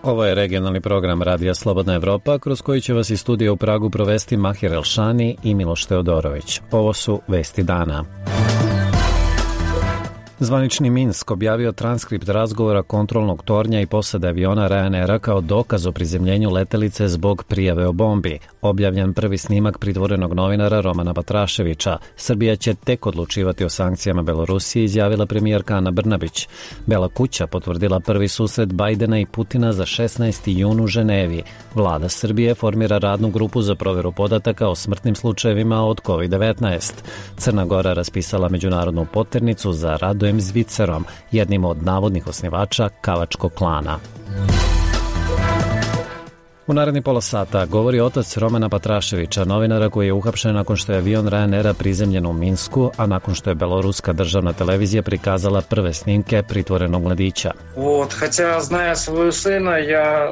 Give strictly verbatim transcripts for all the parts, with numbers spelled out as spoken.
Ovo je regionalni program Radija Slobodna Evropa, kroz koji će vas iz studija u Pragu provesti Mahir Elšani i Miloš Teodorović. Ovo su vesti dana. Zvanični Minsk objavio transkript razgovora kontrolnog tornja i posade aviona Ryanaira kao dokaz o prizemljenju letelice zbog prijave o bombi. Objavljen prvi snimak pritvorenog novinara Romana Patraševića. Srbija će tek odlučivati o sankcijama Belorusiji, izjavila premijerka Ana Brnabić. Bela kuća potvrdila prvi susret Bajdena i Putina za šesnaesti jun u Ženevi. Vlada Srbije formira radnu grupu za proveru podataka o smrtnim slučajevima od kovid devetnaest. Crna Gora raspisala međunarodnu poternicu za Radojem Zvicerom, jednim od navodnih osnivača Kavačkog klana. U naredni pola sata govori otac Romana Patraševića, novinara koji je uhapšen nakon što je avion Ryanaira prizemljen u Minsku, a nakon što je beloruska državna televizija prikazala prve snimke pritvorenog mladića.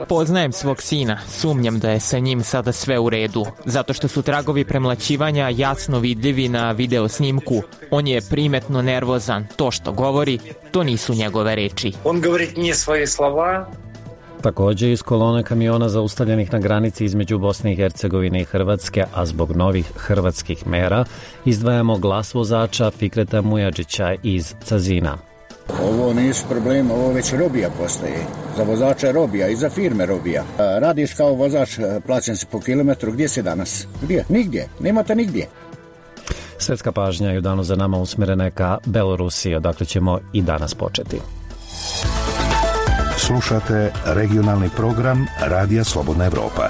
Poznajem svog sina, sumnjam da je sa njim sada sve u redu, zato što su tragovi premlaćivanja jasno vidljivi na video snimku. On je primetno nervozan, to što govori, to nisu njegove reči. On govori nije svoje slova. Također iz kolone kamiona zaustavljenih na granici između Bosne i Hercegovine i Hrvatske, a zbog novih hrvatskih mera, izdvajamo glas vozača Fikreta Mujadžića iz Cazina. Ovo nisu problemi, ovo već robija postaje. Za vozača robija i za firme robija. Radiš kao vozač, plaćen si po kilometru, gdje si danas? Gdje? Nigdje, nemate nigdje. Svetska pažnja je u danu za nama usmjerena je ka Belorusiji, odakle ćemo i danas početi. Slušate regionalni program Radija Slobodna Evropa.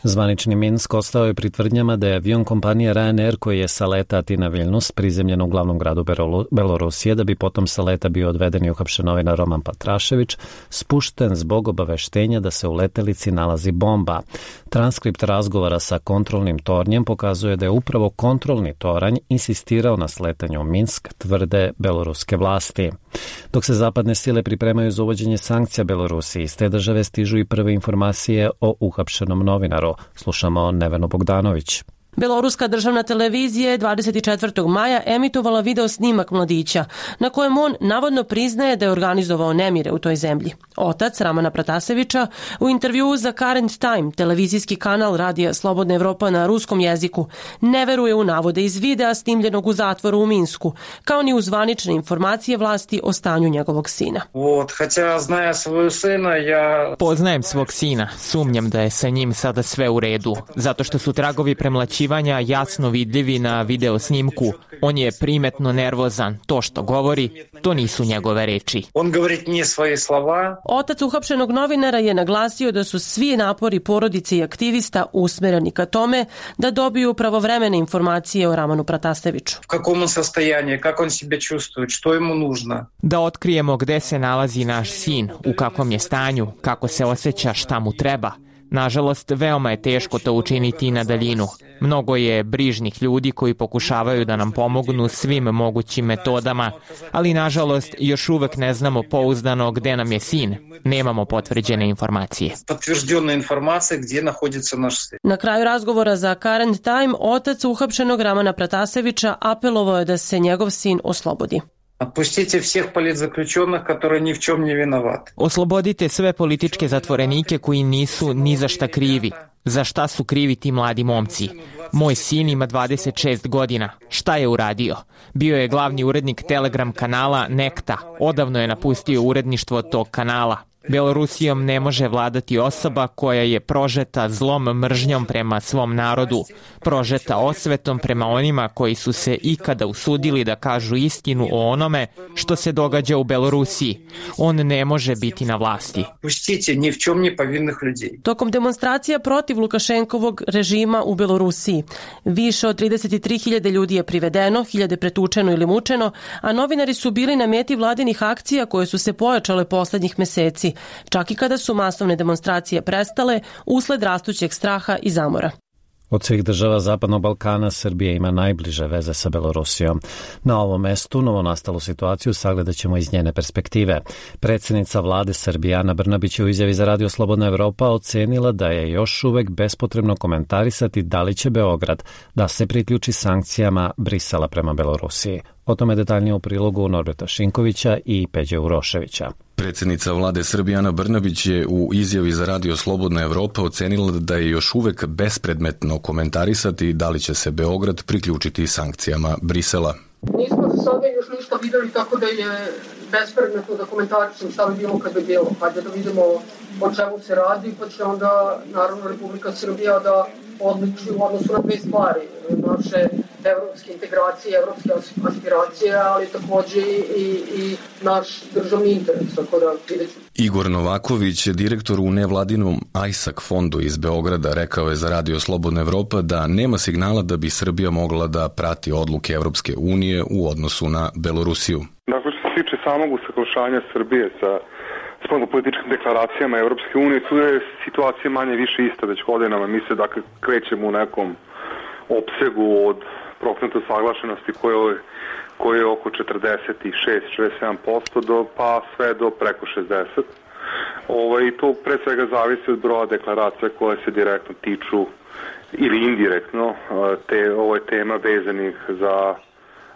Zvanični Minsk ostao je pri tvrdnjama da je avion kompanije Ryanair koji je sa leta Atina-Vilnus prizemljen u glavnom gradu Belorusije, da bi potom sa leta bio odveden i uhapšen novinar Roman Patrašević, spušten zbog obaveštenja da se u letelici nalazi bomba. Transkript razgovora sa kontrolnim tornjem pokazuje da je upravo kontrolni toranj insistirao na sletanju u Minsk, tvrde beloruske vlasti. Dok se zapadne sile pripremaju za uvođenje sankcija Belorusiji, iz te države stižu i prve informacije o uhapšenom novinaru. Slušamo Nevenu Bogdanović. Beloruska državna televizija je dvadeset četvrtog maja emitovala video snimak mladića, na kojem on navodno priznaje da je organizovao nemire u toj zemlji. Otac Ramana Pratasevića u intervjuu za Current Time, televizijski kanal Radija Slobodna Evropa na ruskom jeziku, ne veruje u navode iz videa snimljenog u zatvoru u Minsku, kao ni u zvanične informacije vlasti o stanju njegovog sina. Poznajem svog sina, sumnjam da je sa njim sada sve u redu, zato što su tragovi premlaćivanja jasno vidljivi na video snimku. On je primetno nervozan, to što govori, to nisu njegove reči. On govori nije svoje slova. Otac uhapšenog novinara je naglasio da su svi napori porodice i aktivista usmereni ka tome da dobiju pravovremene informacije o Ramanu Prataseviću. U kakvom on sastojanju, kako on sebe čuvstuje, što jemu nužno. Da otkrijemo gde se nalazi naš sin, u kakvom je stanju, kako se osjeća, šta mu treba. Nažalost, veoma je teško to učiniti na daljinu. Mnogo je brižnih ljudi koji pokušavaju da nam pomognu svim mogućim metodama, ali nažalost još uvek ne znamo pouzdano gde nam je sin. Nemamo potvrđene informacije. Potvrđena informacija gdje naходится naš sin. Na kraju razgovora za Current Time, otac uhapšenog Ramana Pratasevića apelovao je da se njegov sin oslobodi. Отпустите всех политзаключенных, которые ни в чем не виноваты. Oslobodite sve političke zatvorenike koji nisu ni za šta krivi. Za šta su krivi ti mladi momci? Moj sin ima dvadeset šest godina. Šta je uradio? Bio je glavni urednik Telegram kanala Nekta. Odavno je napustio uredništvo tog kanala. Belorusijom ne može vladati osoba koja je prožeta zlom mržnjom prema svom narodu, prožeta osvetom prema onima koji su se ikada usudili da kažu istinu o onome što se događa u Belorusiji. On ne može biti na vlasti. Pustite ni v čem ne povinnih ljudi. Tokom demonstracija protiv Lukašenkovog režima u Belorusiji, više od trideset tri hiljade ljudi je privedeno, hiljade pretučeno ili mučeno, a novinari su bili na meti vladinih akcija koje su se pojačale poslednjih meseci, čak i kada su masovne demonstracije prestale usled rastućeg straha i zamora. Od svih država Zapadnog Balkana Srbija ima najbliže veze sa Belorusijom. Na ovom mestu novonastalu situaciju sagledat ćemo iz njene perspektive. Predsjednica vlade Srbije Ana Brnabić je u izjavi za Radio Slobodna Evropa ocenila da je još uvek bespotrebno komentarisati da li će Beograd da se priključi sankcijama Brisela prema Belorusiji. O tome detaljnije u prilogu Norberta Šinkovića i Peđe Uroševića. Predsjednica vlade Srbije Ana Brnabić je u izjavi za Radio Slobodna Evropa ocenila da je još uvek bespredmetno komentarisati da li će se Beograd priključiti sankcijama Brisela. Nismo za sada još ništa videli, tako da je bespredmetno da komentarišem šta bi bilo kad bi bilo. Hajde da vidimo o čemu se radi, pa će onda naravno Republika Srbija da odluči u odnosu na dve stvari. Naše evropske integracije, evropske aspiracije, ali takođe i, i naš državni interes, tako da vidjet ću. Igor Novaković, direktor u nevladinom Ajsak fondu iz Beograda, rekao je za Radio Slobodna Evropa da nema signala da bi Srbija mogla da prati odluke Evropske unije u odnosu na Belorusiju. Dakle, što se tiče samog usaglašanja Srbije sa spoljnopolitičkim deklaracijama Evropske unije, tu je situacija manje više ista već godinama. Mi se dakle krećemo u nekom opsegu od procenta usaglašenosti koje, koje je oko četrdeset šest do četrdeset sedam posto do, pa sve do preko šezdeset. Ovaj, to pre svega zavisi od broja deklaracija koje se direktno tiču ili indirektno te, ove tema vezanih za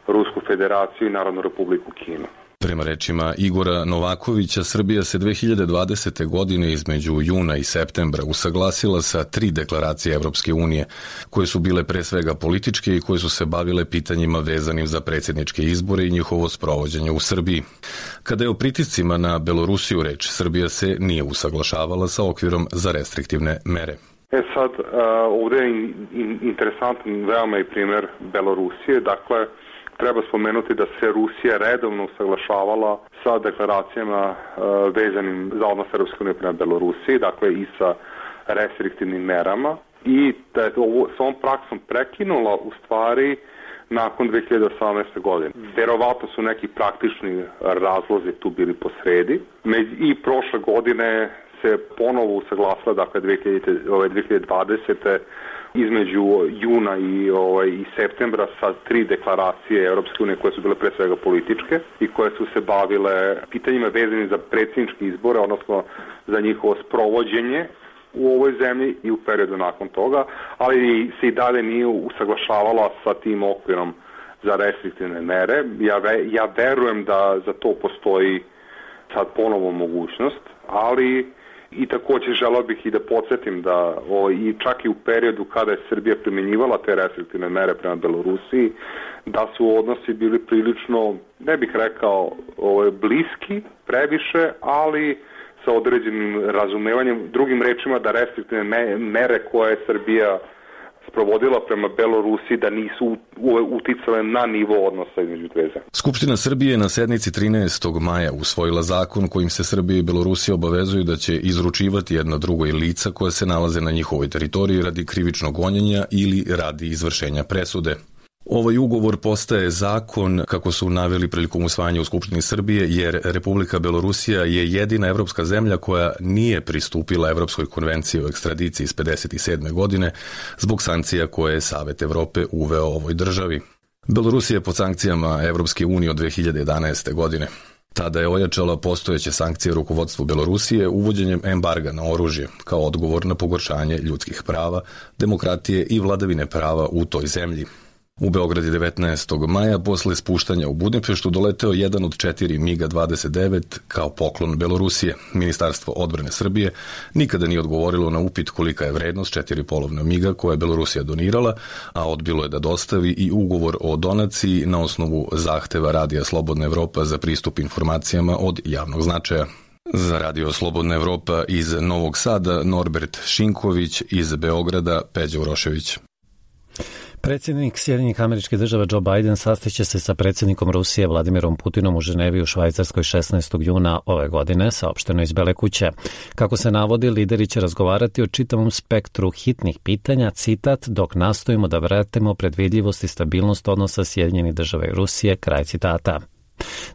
Rusku federaciju i Narodnu republiku Kinu. Prema rečima Igora Novakovića, Srbija se dve hiljade dvadesete. godine između juna i septembra usaglasila sa tri deklaracije Evropske unije, koje su bile pre svega političke i koje su se bavile pitanjima vezanim za predsjedničke izbore i njihovo sprovođenje u Srbiji. Kada je o pritiscima na Belorusiju reč, Srbija se nije usaglašavala sa okvirom za restriktivne mere. E sad, ovdje je interesantan veoma i primjer Belorusije, dakle, treba spomenuti da se Rusija redovno usaglašavala sa deklaracijama uh, vezanim za odnos Europske unije prema Belorusiji, dakle i sa restriktivnim merama, i da je ovo s ovom praksom prekinula u stvari nakon dve hiljade osamnaeste. godine. Verovatno su neki praktični razlozi tu bili posredi. I prošle godine se ponovo usaglasila, dakle dve hiljade dvadesete. između juna i, ovaj, i septembra sa tri deklaracije Europske unije koje su bile pre svega političke i koje su se bavile pitanjima vezanim za predsjedničke izbore, odnosno za njihovo sprovođenje u ovoj zemlji i u periodu nakon toga, ali se i dalje nije usaglašavala sa tim okvirom za restriktivne mere. Ja, ve, ja verujem da za to postoji sad ponovo mogućnost, ali i također želeo bih i da podsjetim da o, i čak i u periodu kada je Srbija primjenjivala te restriktivne mere prema Belorusiji, da su odnosi bili prilično, ne bih rekao o, bliski, previše, ali sa određenim razumevanjem, drugim rečima da restriktivne me, mere koje je Srbija sprovodila prema Belorusiji da nisu uticale na nivo odnosa između dve zemlje. Skupština Srbije na sednici trinaestog maja usvojila zakon kojim se Srbija i Belorusija obavezuju da će izručivati jedno drugoj lica koje se nalaze na njihovoj teritoriji radi krivičnog gonjenja ili radi izvršenja presude. Ovaj ugovor postaje zakon, kako su naveli prilikom usvajanja u Skupštini Srbije, jer Republika Belorusija je jedina evropska zemlja koja nije pristupila Evropskoj konvenciji o ekstradiciji iz pedeset sedme. godine zbog sankcija koje je Savet Evrope uveo ovoj državi. Belorusija je pod sankcijama Evropske unije od dve hiljade jedanaeste. godine. Tada je ojačala postojeće sankcije rukovodstvu Belorusije uvođenjem embarga na oružje kao odgovor na pogoršanje ljudskih prava, demokratije i vladavine prava u toj zemlji. U Beograd je devetnaestog maja posle spuštanja u Budimpeštu doleteo jedan od četiri MiG dvadeset devet kao poklon Belorusije. Ministarstvo odbrane Srbije nikada nije odgovorilo na upit kolika je vrednost četiri polovna MiG-a koje je Belorusija donirala, a odbilo je da dostavi i ugovor o donaciji na osnovu zahteva Radija Slobodna Evropa za pristup informacijama od javnog značaja. Za Radio Slobodna Evropa iz Novog Sada Norbert Šinković, iz Beograda Peđa Urošević. Predsjednik Sjedinjenih Američkih Država Joe Biden sastaće se sa predsjednikom Rusije Vladimirom Putinom u Ženevi u Švajcarskoj šesnaestog juna ove godine, saopšteno iz Bele kuće. Kako se navodi, lideri će razgovarati o čitavom spektru hitnih pitanja, citat, dok nastojimo da vratimo predvidljivost i stabilnost odnosa Sjedinjenih Država i Rusije, kraj citata.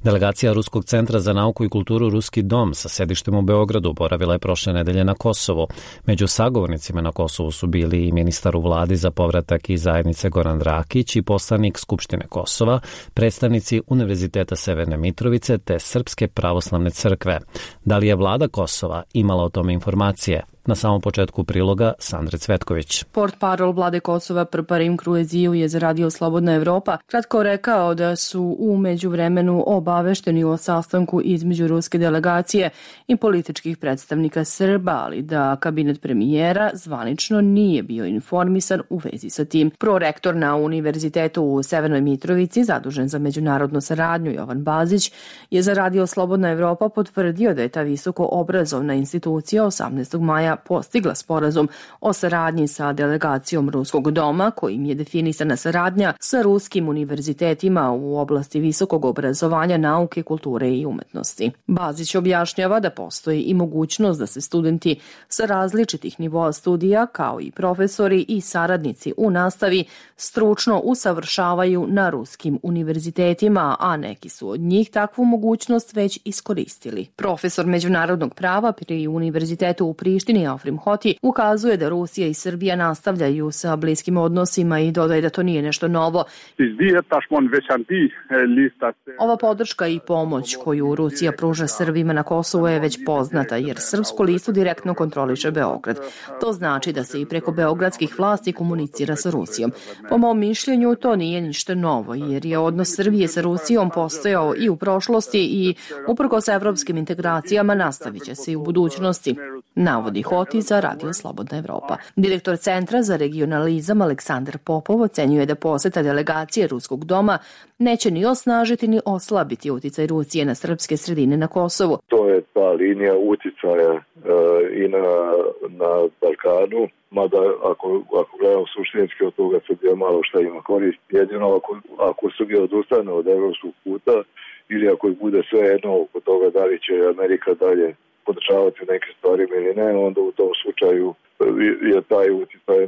Delegacija Ruskog centra za nauku i kulturu Ruski dom sa sedištem u Beogradu boravila je prošle nedelje na Kosovu. Među sagovornicima na Kosovu su bili i ministar u vladi za povratak iz zajednice Goran Drakić i poslanik Skupštine Kosova, predstavnici Univerziteta Severne Mitrovice te Srpske pravoslavne crkve. Da li je vlada Kosova imala o tome informacije? Na samom početku priloga Sandre Cvetković. Portparol vlade Kosova Prparim Krueziju je za Radio Slobodna Evropa kratko rekao da su u međuvremenu obavešteni o sastanku između ruske delegacije i političkih predstavnika Srba, ali da kabinet premijera zvanično nije bio informisan u vezi sa tim. Prorektor na Univerzitetu u Severnoj Mitrovici, zadužen za međunarodnu saradnju, Jovan Bazić, je za Radio Slobodna Evropa potvrdio da je ta visoko obrazovna institucija osamnaestog maja postigla sporazum o saradnji sa delegacijom Ruskog doma, kojim je definisana saradnja sa ruskim univerzitetima u oblasti visokog obrazovanja, nauke, kulture i umetnosti. Bazić objašnjava da postoji i mogućnost da se studenti sa različitih nivoa studija, kao i profesori i saradnici u nastavi, stručno usavršavaju na ruskim univerzitetima, a neki su od njih takvu mogućnost već iskoristili. Profesor međunarodnog prava pri Univerzitetu u Prištini Afrim Hoti ukazuje da Rusija i Srbija nastavljaju sa bliskim odnosima i dodaje da to nije nešto novo. Ova podrška i pomoć koju Rusija pruža Srbima na Kosovu je već poznata, jer Srpsku listu direktno kontroliše Beograd. To znači da se i preko beogradskih vlasti komunicira sa Rusijom. Po mom mišljenju to nije ništa novo, jer je odnos Srbije sa Rusijom postojao i u prošlosti i uprkos evropskim integracijama nastavit će se i u budućnosti, navodi Hoti za Radio Slobodna Evropa. Direktor Centra za regionalizam Aleksandar Popov ocenjuje da poseta delegacije Ruskog doma neće ni osnažiti ni oslabiti uticaj Rusije na srpske sredine na Kosovu. To je ta linija uticaja e, i na, na Balkanu, mada ako, ako gledamo suštinski od toga Srbija malo šta ima korist. Jedino ako, ako Srbija odustane od evropskog puta ili ako ih bude sve jedno oko toga da li će Amerika dalje podržavati neke stvari ili ne, onda u tom slučaju je taj uticaj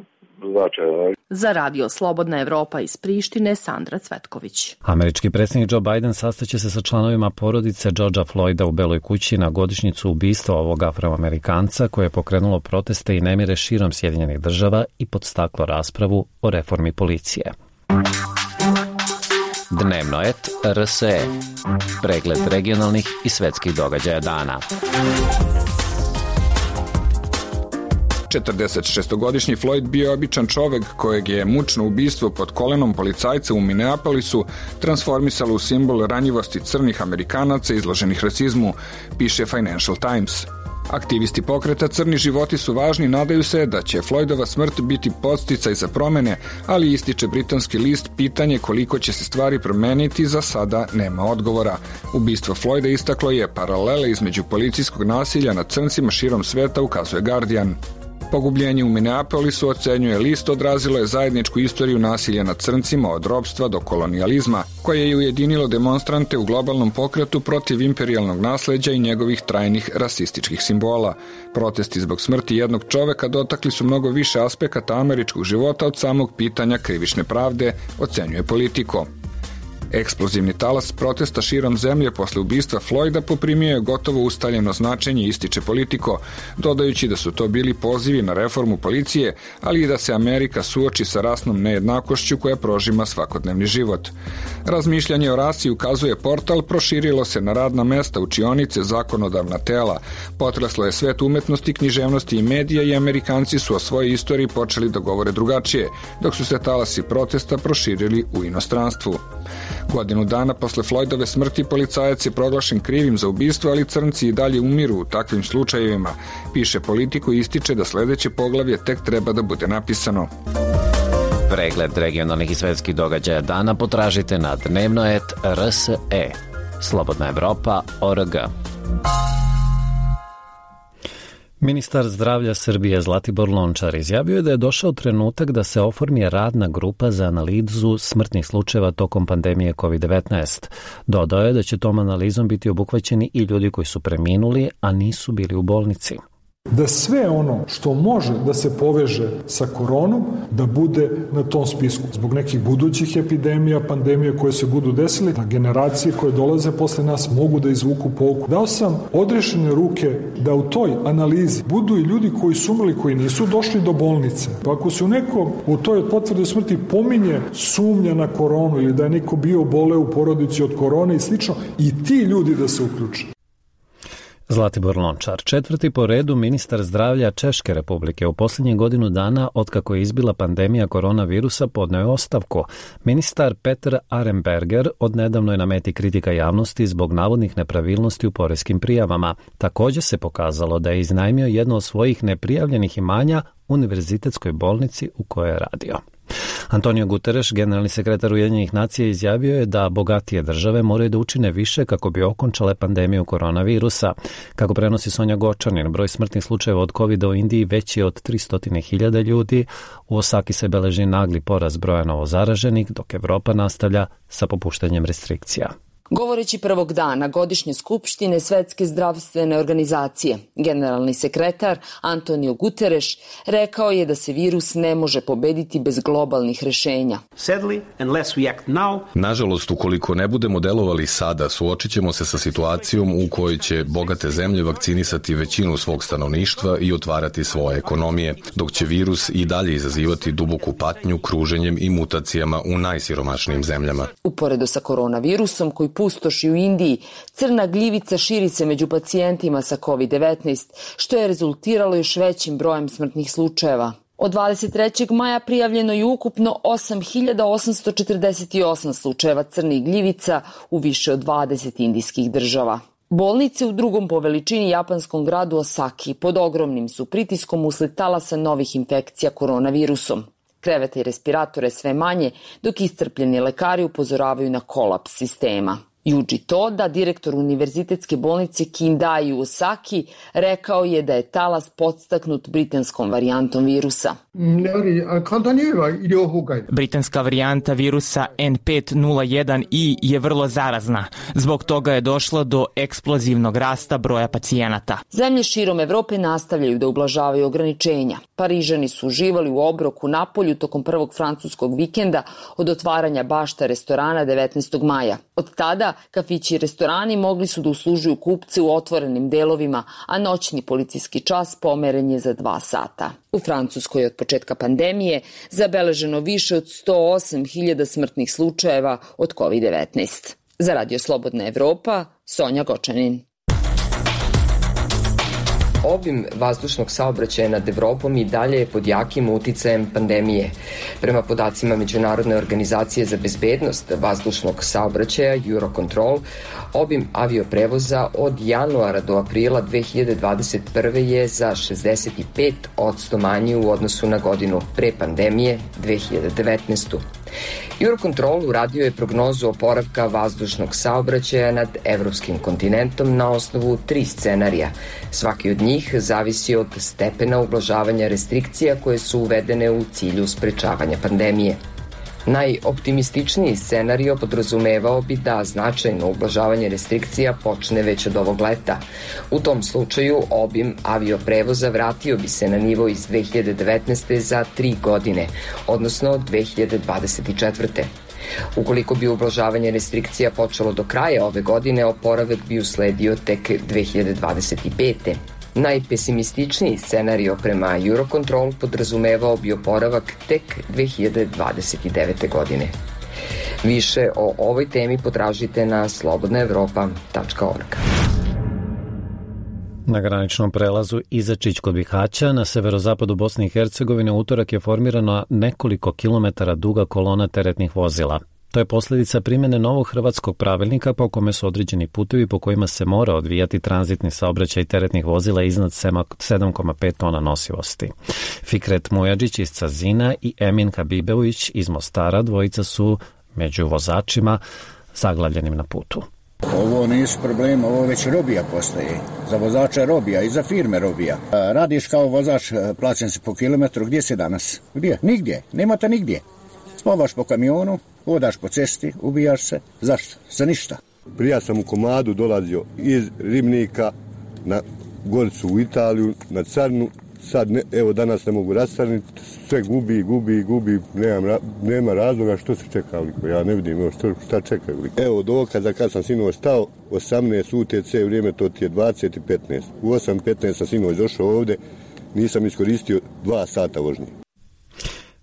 značajan. Za Radio Slobodna Evropa iz Prištine, Sandra Cvetković. Američki predsjednik Joe Biden sastaće se sa članovima porodice Georgea Floyda u Beloj kući na godišnjicu ubistva ovog Afroamerikanca koje je pokrenulo proteste i nemire širom Sjedinjenih država i podstaklo raspravu o reformi policije. Dnevnoet R S E. Pregled regionalnih i svetskih događaja dana. četrdesetšestogodišnji Floyd bio je običan čovek kojeg je mučno ubistvo pod kolenom policajca u Minneapolisu transformisalo u simbol ranjivosti crnih Amerikanaca izloženih rasizmu, piše Financial Times. Aktivisti pokreta Crni životi su važni, nadaju se da će Floydova smrt biti podsticaj za promene, ali ističe britanski list pitanje koliko će se stvari promeniti za sada nema odgovora. Ubistvo Floyda istaklo je paralele između policijskog nasilja nad crncima širom sveta, ukazuje Guardian. Pogubljenje u Minneapolisu, ocenjuje list, odrazilo je zajedničku istoriju nasilja nad crncima od ropstva do kolonijalizma, koje je ujedinilo demonstrante u globalnom pokretu protiv imperijalnog nasleđa i njegovih trajnih rasističkih simbola. Protesti zbog smrti jednog čoveka dotakli su mnogo više aspekata američkog života od samog pitanja krivične pravde, ocenjuje Politico. Eksplozivni talas protesta širom zemlje posle ubistva Floyda poprimio je gotovo ustaljeno značenje, ističe Politico, dodajući da su to bili pozivi na reformu policije, ali i da se Amerika suoči sa rasnom nejednakošću koja prožima svakodnevni život. Razmišljanje o rasi, ukazuje portal, proširilo se na radna mesta, učionice, zakonodavna tela. Potreslo je svet umetnosti, književnosti i medija i Amerikanci su o svojoj istoriji počeli da govore drugačije, dok su se talasi protesta proširili u inostranstvu. Godinu dana posle Floydove smrti policajac je proglašen krivim za ubistvo, ali crnci i dalje umiru u takvim slučajevima, piše Politico i ističe da sledeće poglavlje tek treba da bude napisano. Pregled regionalnih i svetskih događaja dana potražite na dnevnoet R S E. Slobodna Evropa O R G. Ministar zdravlja Srbije Zlatibor Lončar izjavio je da je došao trenutak da se oformi radna grupa za analizu smrtnih slučajeva tokom pandemije kovid devetnaest. Dodao je da će tom analizom biti obuhvaćeni i ljudi koji su preminuli, a nisu bili u bolnici. Da sve ono što može da se poveže sa koronom, da bude na tom spisku. Zbog nekih budućih epidemija, pandemija koje se budu desili, da generacije koje dolaze posle nas mogu da izvuku pouku. Dao sam odrešene ruke da u toj analizi budu i ljudi koji su umrli, koji nisu došli do bolnice. Pa ako se u nekom u toj potvrdi smrti pominje sumnja na koronu ili da je neko bio bole u porodici od korone i slično, i ti ljudi da se uključe. Zlatibor Lončar, četvrti po redu ministar zdravlja Češke Republike, u posljednjih godinu dana otkako je izbila pandemija koronavirusa podneo je ostavku. Ministar Petr Arenberger odnedavno je na meti kritika javnosti zbog navodnih nepravilnosti u poreskim prijavama. Također se pokazalo da je iznajmio jedno od svojih neprijavljenih imanja univerzitetskoj bolnici u kojoj je radio. Antonio Guterres, generalni sekretar Ujedinjenih nacija, izjavio je da bogatije države moraju da učine više kako bi okončale pandemiju koronavirusa. Kako prenosi Sonja Gočanin, broj smrtnih slučajeva od kovida u Indiji veći je od tristo hiljada ljudi. U Osaki se beleži nagli porast broja novozaraženih, dok Evropa nastavlja sa popuštanjem restrikcija. Govoreći prvog dana godišnje skupštine Svetske zdravstvene organizacije, generalni sekretar Antonio Guterres rekao je da se virus ne može pobediti bez globalnih rešenja. Nažalost, ukoliko ne budemo delovali sada, suočit ćemo se sa situacijom u kojoj će bogate zemlje vakcinisati većinu svog stanovništva i otvarati svoje ekonomije, dok će virus i dalje izazivati duboku patnju kruženjem i mutacijama u najsiromašnijim zemljama. Uporedo sa koronavirusom koji pustoši u Indiji, crna gljivica širi se među pacijentima sa kovid devetnaest, što je rezultiralo još većim brojem smrtnih slučajeva. Od dvadeset trećeg maja prijavljeno je ukupno osam hiljada osamsto četrdeset osam slučajeva crnih gljivica u više od dvadeset indijskih država. Bolnice u drugom po veličini japanskom gradu Osaki pod ogromnim su pritiskom usled talasa novih infekcija koronavirusom. Kreveta i respiratore sve manje, dok iscrpljeni lekari upozoravaju na kolaps sistema. Yuji Toda, direktor univerzitetske bolnice Kindai u Osaki, rekao je da je talas podstaknut britanskom varijantom virusa. Britanska varijanta virusa en pet nula jedan i je vrlo zarazna. Zbog toga je došlo do eksplozivnog rasta broja pacijenata. Zemlje širom Evrope nastavljaju da ublažavaju ograničenja. Parižani su uživali u obroku napolju tokom prvog francuskog vikenda od otvaranja bašta restorana devetnaestog maja. Od tada kafići i restorani mogli su da uslužuju kupce u otvorenim delovima, a noćni policijski čas pomeren je za dva sata. U Francuskoj od početka pandemije zabeleženo više od sto osam hiljada smrtnih slučajeva od kovid devetnaest. Za Radio Slobodna Evropa, Sonja Gočanin. Obim vazdušnog saobraćaja nad Evropom i dalje je pod jakim uticajem pandemije. Prema podacima Međunarodne organizacije za bezbednost vazdušnog saobraćaja Eurocontrol, obim avioprevoza od januara do aprila dve hiljade dvadeset prve. je za šezdeset pet posto manji u odnosu na godinu pre pandemije dve hiljade devetnaeste. Eurocontrol uradio je prognozu oporavka vazdušnog saobraćaja nad evropskim kontinentom na osnovu tri scenarija. Svaki od njih zavisi od stepena ublažavanja restrikcija koje su uvedene u cilju sprečavanja pandemije. Najoptimističniji scenario podrazumevao bi da značajno ublažavanje restrikcija počne već od ovog leta. U tom slučaju obim avioprevoza vratio bi se na nivo iz dve hiljade devetnaeste. za tri godine, odnosno dve hiljade dvadeset četvrte. Ukoliko bi ublažavanje restrikcija počelo do kraja ove godine, oporavak bi usledio tek dve hiljade dvadeset pete. Najpesimističniji scenario prema Eurocontrol podrazumevao bi oporavak tek dve hiljade dvadeset devete. godine. Više o ovoj temi potražite na slobodna evropa tačka org. Na graničnom prelazu Izačić kod Bihaća na severozapadu Bosne i Hercegovine utorak je formirana nekoliko kilometara duga kolona teretnih vozila. To je posljedica primjene novog hrvatskog pravilnika po kome su određeni putevi po kojima se mora odvijati tranzitni saobraćaj teretnih vozila iznad sedam zarez pet tona nosivosti. Fikret Mujadžić iz Cazina i Emin Habibević iz Mostara, dvojica su među vozačima zaglavljenim na putu. Ovo nisu problema, ovo već robija postaje. Za vozača robija i za firme robija. Radiš kao vozač, plaćen se po kilometru, gdje si danas? Gdje? Nigdje, nema te nigdje. Spavaš po kamionu, hodaš po cesti, ubijaš se. Zašto? Za ništa. Prija sam u komadu dolazio iz Ribnika na Goricu u Italiju, na Carnu. Sad, ne, evo danas ne mogu rastarniti, sve gubi, gubi, gubi, nema, nema razloga što se čeka liko. Ja ne vidim evo što, šta čeka liko. Evo dokaza kad sam sinoć stao, osamnaest U T C, vrijeme to ti je dvadeset i petnaest. U osam petnaest sam sinoć došao ovdje, nisam iskoristio dva sata vožnje.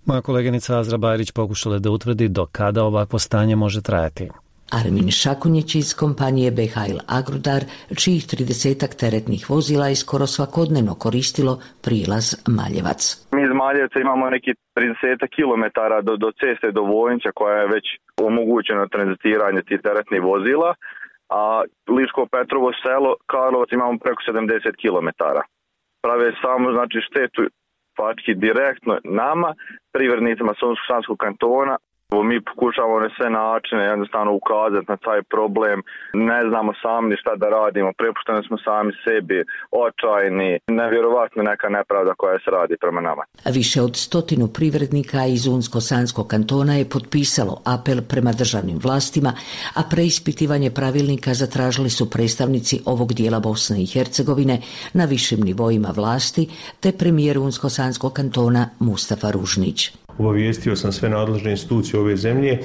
Moja koleginica Azra Bajrić pokušala da utvrdi do kada ovakvo stanje može trajati. Armin Šakunjić iz kompanije Behail Agrudar, čijih tridesetak teretnih vozila je skoro svakodnevno koristilo prilaz Maljevac. Mi iz Maljevca imamo neki trideset kilometara do, do ceste do Vojnića koja je već omogućeno tranzitiranje tih teretnih vozila, a Liško Petrovo selo Karlovac imamo preko sedamdeset kilometara. Prave samo znači štetu faktički direktno nama, privrednicima Sounsko-sanskog kantona. Mi pokušavamo na sve načine jednostavno ukazati na taj problem. Ne znamo sami šta da radimo, prepušteni smo sami sebi, očajni, nevjerovatno neka nepravda koja se radi prema nama. Više od stotinu privrednika iz Unsko-sanskog kantona je potpisalo apel prema državnim vlastima, a preispitivanje pravilnika zatražili su predstavnici ovog dijela Bosne i Hercegovine na višim nivoima vlasti, te premijer Unsko-sanskog kantona Mustafa Ružnić. Obavijestio sam sve nadležne institucije ove zemlje,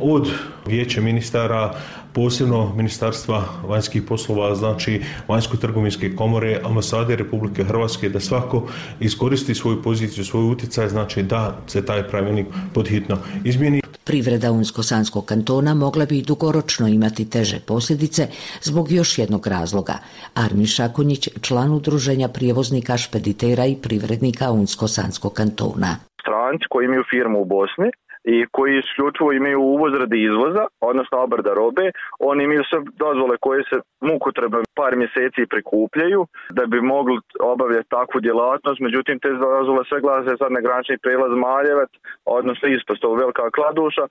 od vijeća ministara, posebno Ministarstva vanjskih poslova, znači Vanjsko-trgovinske komore, ambasade Republike Hrvatske, da svako iskoristi svoju poziciju, svoj utjecaj, znači da se taj pravilnik podhitno izmijeni. Privreda Unsko-sanskog kantona mogla bi dugoročno imati teže posljedice zbog još jednog razloga. Armin Šakunjić, član udruženja prijevoznika, špeditera i privrednika Unsko-sanskog kantona. Stranci koji imaju firmu u Bosni i koji isključivo imaju uvoz radi izvoza, odnosno obrada robe, oni imaju sve dozvole koje se mukotrpno par mjeseci prikupljaju da bi mogli obavljati takvu djelatnost, međutim te dozvole sve glase sad na granični prijelaz Maljevac, odnosno ispostavu Velika Kladuša,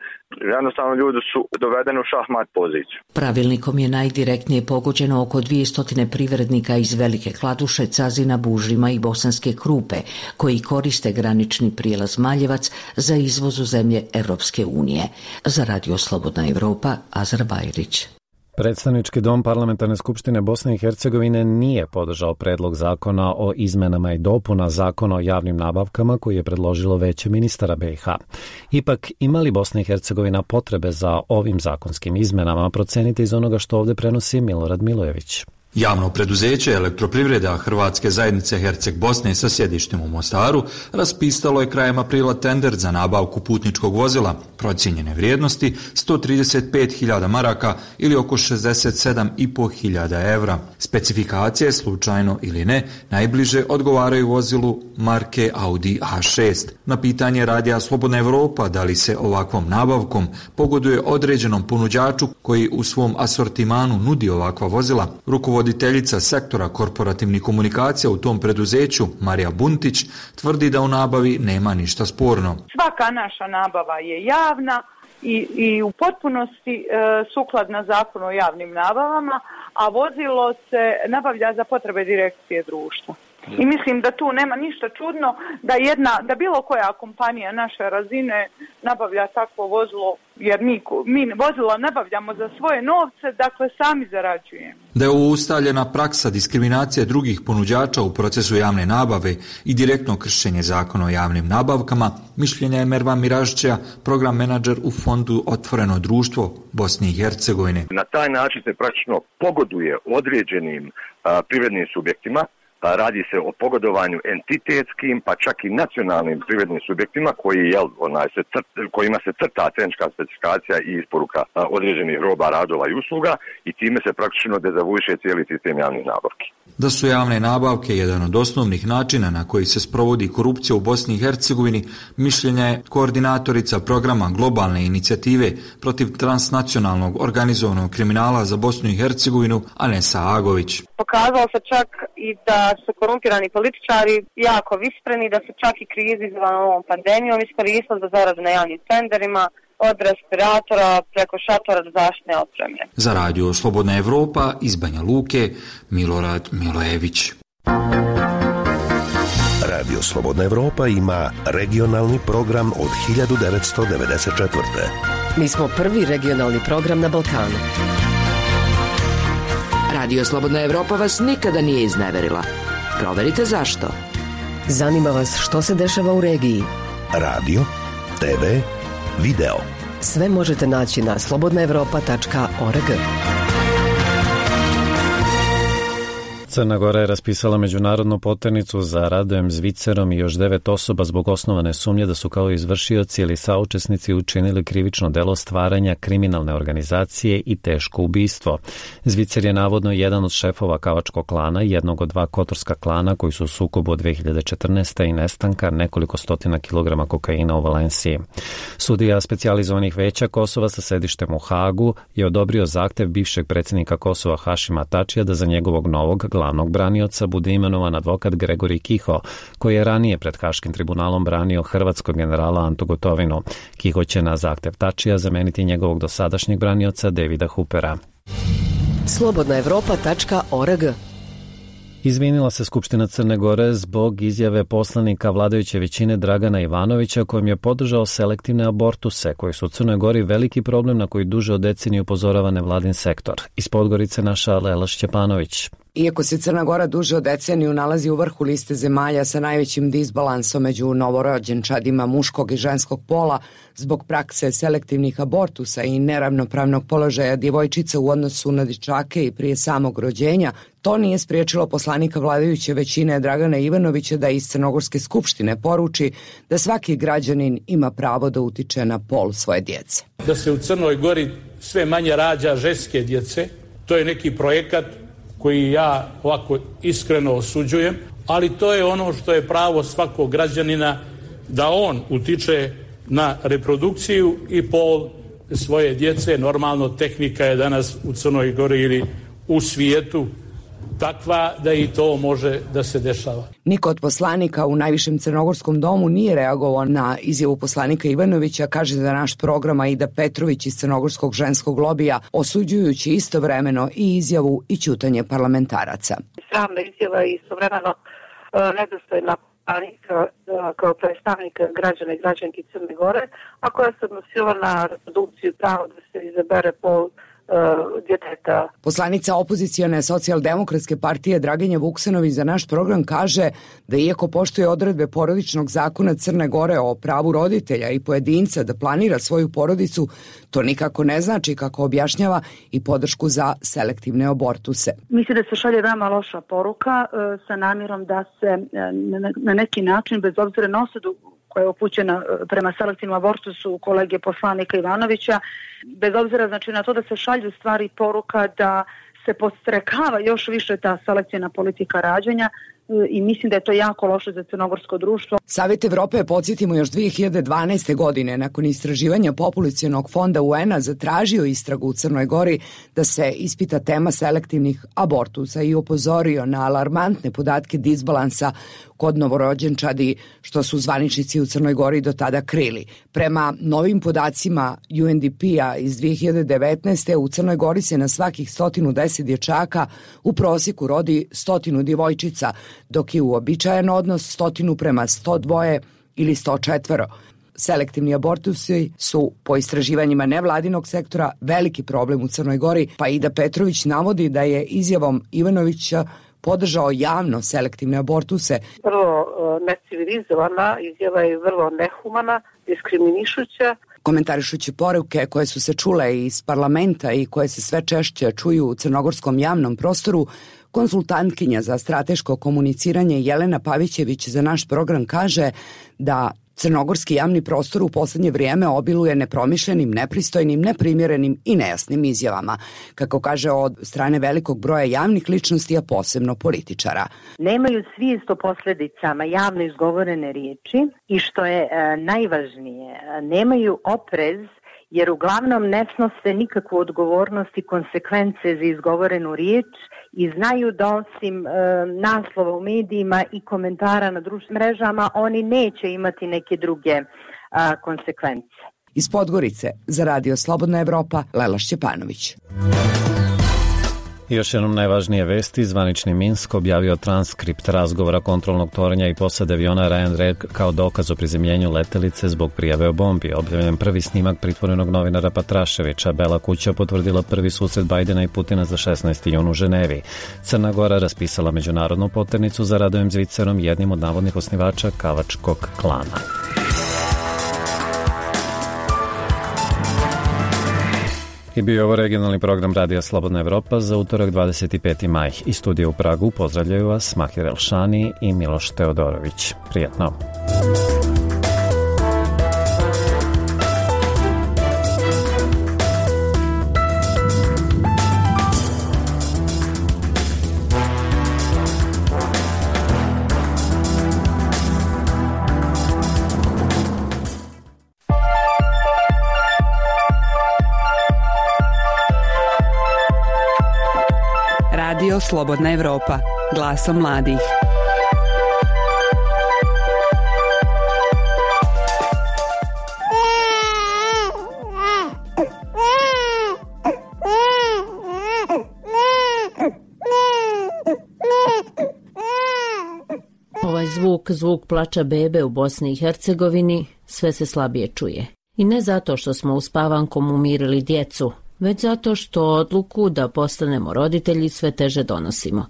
jednostavno ljudi su dovedeni u šahmat poziciju. Pravilnikom je najdirektnije pogođeno oko dvjesto privrednika iz Velike Kladuše, Cazina, Bužima i Bosanske Krupe, koji koriste granični prijelaz Maljevac za izvoz u zemlje Evropske unije. Za Radio Slobodna Evropa, Azar Bajrić. Predstavnički dom Parlamentarne skupštine Bosne i Hercegovine nije podržao predlog zakona o izmenama i dopuna zakona o javnim nabavkama koji je predložilo Veće ministara be i ha. Ipak, ima li Bosna i Hercegovina potrebe za ovim zakonskim izmenama, procenite iz onoga što ovdje prenosi Milorad Milojević. Javno preduzeće Elektroprivreda Hrvatske zajednice Herceg Bosne sa sjedištem u Mostaru raspisalo je krajem aprila tender za nabavku putničkog vozila procijenjene vrijednosti sto trideset pet hiljada maraka ili oko šezdeset sedam i po hiljada evra. Specifikacije, slučajno ili ne, najbliže odgovaraju vozilu marke Audi A šest. Na pitanje Radija Slobodna Evropa da li se ovakvom nabavkom pogoduje određenom ponuđaču koji u svom asortimanu nudi ovakva vozila, rukovoditelj Voditeljica sektora korporativnih komunikacija u tom preduzeću, Marija Buntić, tvrdi da u nabavi nema ništa sporno. Svaka naša nabava je javna i, i u potpunosti e, sukladna zakonu o javnim nabavama, a vozilo se nabavlja za potrebe direkcije društva. I mislim da tu nema ništa čudno da jedna, da bilo koja kompanija naše razine nabavlja takvo vozilo, jer mi, mi vozilo nabavljamo za svoje novce, dakle sami zarađujemo. Da je ovo ustaljena praksa diskriminacije drugih ponuđača u procesu javne nabave i direktno kršenje zakona o javnim nabavkama, mišljenja je Mervan Miražića, program menadžer u fondu Otvoreno društvo Bosne i Hercegovine. Na taj način se praktično pogoduje određenim a, privrednim subjektima. Radi se o pogodovanju entitetskim, pa čak i nacionalnim privrednim subjektima koji, jel, onaj, se crt, kojima se crta tehnička specifikacija i isporuka određenih roba, radova i usluga i time se praktično dezavuiše cijeli sistem javnih nabavki. Da su javne nabavke jedan od osnovnih načina na koji se sprovodi korupcija u Bosni i Hercegovini, mišljenja je koordinatorica programa globalne inicijative protiv transnacionalnog organizovanog kriminala za Bosnu i Hercegovinu, Anesa Agović. Pokazalo se čak i da su korumpirani političari jako vispreni, da su čak i krizi izazvane ovom pandemijom iskoristili za zaradu na javnim tenderima, od respiratora preko šatora do zaštitne opreme. Za Radio Slobodna Evropa iz Banja Luke, Milorad Milojević. Radio Slobodna Evropa ima regionalni program od hiljadu devetsto devedeset četvrte. Mi smo prvi regionalni program na Balkanu. Radio Slobodna Evropa vas nikada nije izneverila. Proverite zašto. Zanima vas što se dešava u regiji. Radio, te ve, video. Sve možete naći na slobodna evropa tačka org. Crna Gora je raspisala međunarodnu poternicu za Radojem Zvicerom i još devet osoba zbog osnovane sumnje da su kao izvršioci ili saučesnici učinili krivično delo stvaranja kriminalne organizacije i teško ubistvo. Zvicer je navodno jedan od šefova kavačkog klana, jednog od dva kotorska klana koji su u sukobu od dve hiljade četrnaeste. i nestanka nekoliko stotina kilograma kokaina u Valenciji. Sudija specijalizovanih veća Kosova sa sedištem u Hagu je odobrio zahtev bivšeg predsjednika Kosova Hašima Tačija da za njegovog novog glavnog branioca bude imenovan advokat Gregorij Kiho, koji je ranije pred Haškim tribunalom branio hrvatskog generala Antu Gotovinu. Kiho će na zahtev Tačija zameniti njegovog dosadašnjeg branioca Davida Hoopera. slobodna evropa tačka org. Izvinila se Skupština Crne Gore zbog izjave poslanika vladajuće većine Dragana Ivanovića kojim je podržao selektivne abortuse koji su u Crnoj Gori veliki problem na koji duže od decenije upozorava nevladin sektor. Iz Podgorice naša Lela Šćepanović. Iako se Crna Gora duže od deceniju nalazi u vrhu liste zemalja sa najvećim disbalansom među novorođenčadima muškog i ženskog pola zbog prakse selektivnih abortusa i neravnopravnog položaja djevojčica u odnosu na dječake i prije samog rođenja, to nije spriječilo poslanika vladajuće većine Dragana Ivanovića da iz Crnogorske skupštine poruči da svaki građanin ima pravo da utiče na pol svoje djece. Da se u Crnoj Gori sve manje rađa ženske djece, to je neki projekat koji ja ovako iskreno osuđujem, ali to je ono što je pravo svakog građanina da on utiče na reprodukciju i pol svoje djece. Normalno, tehnika je danas u Crnoj Gori ili u svijetu takva da i to može da se dešava. Niko od poslanika u najvišem crnogorskom domu nije reagovao na izjavu poslanika Ivanovića, kaže za naš program Aida Petrović iz crnogorskog ženskog lobija, osuđujući istovremeno i izjavu i ćutanje parlamentaraca. Sramna izjava i istovremeno nedostojna poslanika kao predstavnika građana i građanki Crne Gore, a koja se odnosila na reprodukciju pravo da se izabere pol djeteta. Poslanica opozicione socijaldemokratske partije Draginja Vuksanović za naš program kaže da iako poštuje odredbe porodičnog zakona Crne Gore o pravu roditelja i pojedinca da planira svoju porodicu, to nikako ne znači, kako objašnjava, i podršku za selektivne abortuse. Mislim da se šalje veoma loša poruka sa namjerom da se na neki način, bez obzira na osudu koja je upućena prema selektivnom abortusu kolege poslanika Ivanovića, bez obzira znači na to da se šalju stvari poruka da se podstrekava još više ta selektivna politika rađanja i mislim da je to jako loše za crnogorsko društvo. Savjet Evrope je, podsjetimo, još dve hiljade dvanaeste. godine nakon istraživanja populacionog fonda U N-a zatražio istragu u Crnoj Gori da se ispita tema selektivnih abortusa i upozorio na alarmantne podatke disbalansa kod novorođenčadi, što su zvaničnici u Crnoj Gori do tada krili. Prema novim podacima U N D P-a iz dve hiljade devetnaeste. u Crnoj Gori se na svakih sto deset dječaka u prosjeku rodi stotinu djevojčica, dok je uobičajen odnos stotinu prema sto dva ili sto četiri. Selektivni abortusi su, po istraživanjima nevladinog sektora, veliki problem u Crnoj Gori, pa Aida Petrović navodi da je izjavom Ivanovića podržao javno selektivne abortuse. Vrlo necivilizovana izjava je, vrlo nehumana, diskriminišuća. Komentarišući poruke koje su se čule iz parlamenta i koje se sve češće čuju u crnogorskom javnom prostoru, konsultantkinja za strateško komuniciranje Jelena Pavićević za naš program kaže da crnogorski javni prostor u posljednje vrijeme obiluje nepromišljenim, nepristojnim, neprimjerenim i nejasnim izjavama, kako kaže, od strane velikog broja javnih ličnosti, a posebno političara. Nemaju svijest o posljedicama javno izgovorene riječi i, što je e, najvažnije, nemaju oprez, jer uglavnom ne snose nikakvu odgovornost i konsekvence za izgovorenu riječ i znaju da osim e, naslova u medijima i komentara na društvenim mrežama oni neće imati neke druge a, konsekvence. Iz Podgorice za Radio Slobodna Evropa, Lela Šćepanović. Još jednom najvažnije vesti, zvanični Minsk objavio transkript razgovora kontrolnog toranja i posade aviona Ryanair kao dokaz o prizemljenju letelice zbog prijave o bombi. Objavljen prvi snimak pritvorenog novinara Patraševića. Bela kuća potvrdila prvi susret Bajdena i Putina za šesnaesti jun u Ženevi. Crna Gora raspisala međunarodnu poternicu za Radojem Zvicerom, jednim od navodnih osnivača kavačkog klana. I bio ovo regionalni program Radija Slobodna Evropa za utorak dvadeset peti maj. Iz studija u Pragu pozdravljaju vas Mahir Elšani i Miloš Teodorović. Prijatno. Radio Slobodna Evropa, glasom mladih. Ovaj zvuk, zvuk plača bebe u Bosni i Hercegovini, sve se slabije čuje. I ne zato što smo uspavankom umirili djecu, već zato što odluku da postanemo roditelji sve teže donosimo.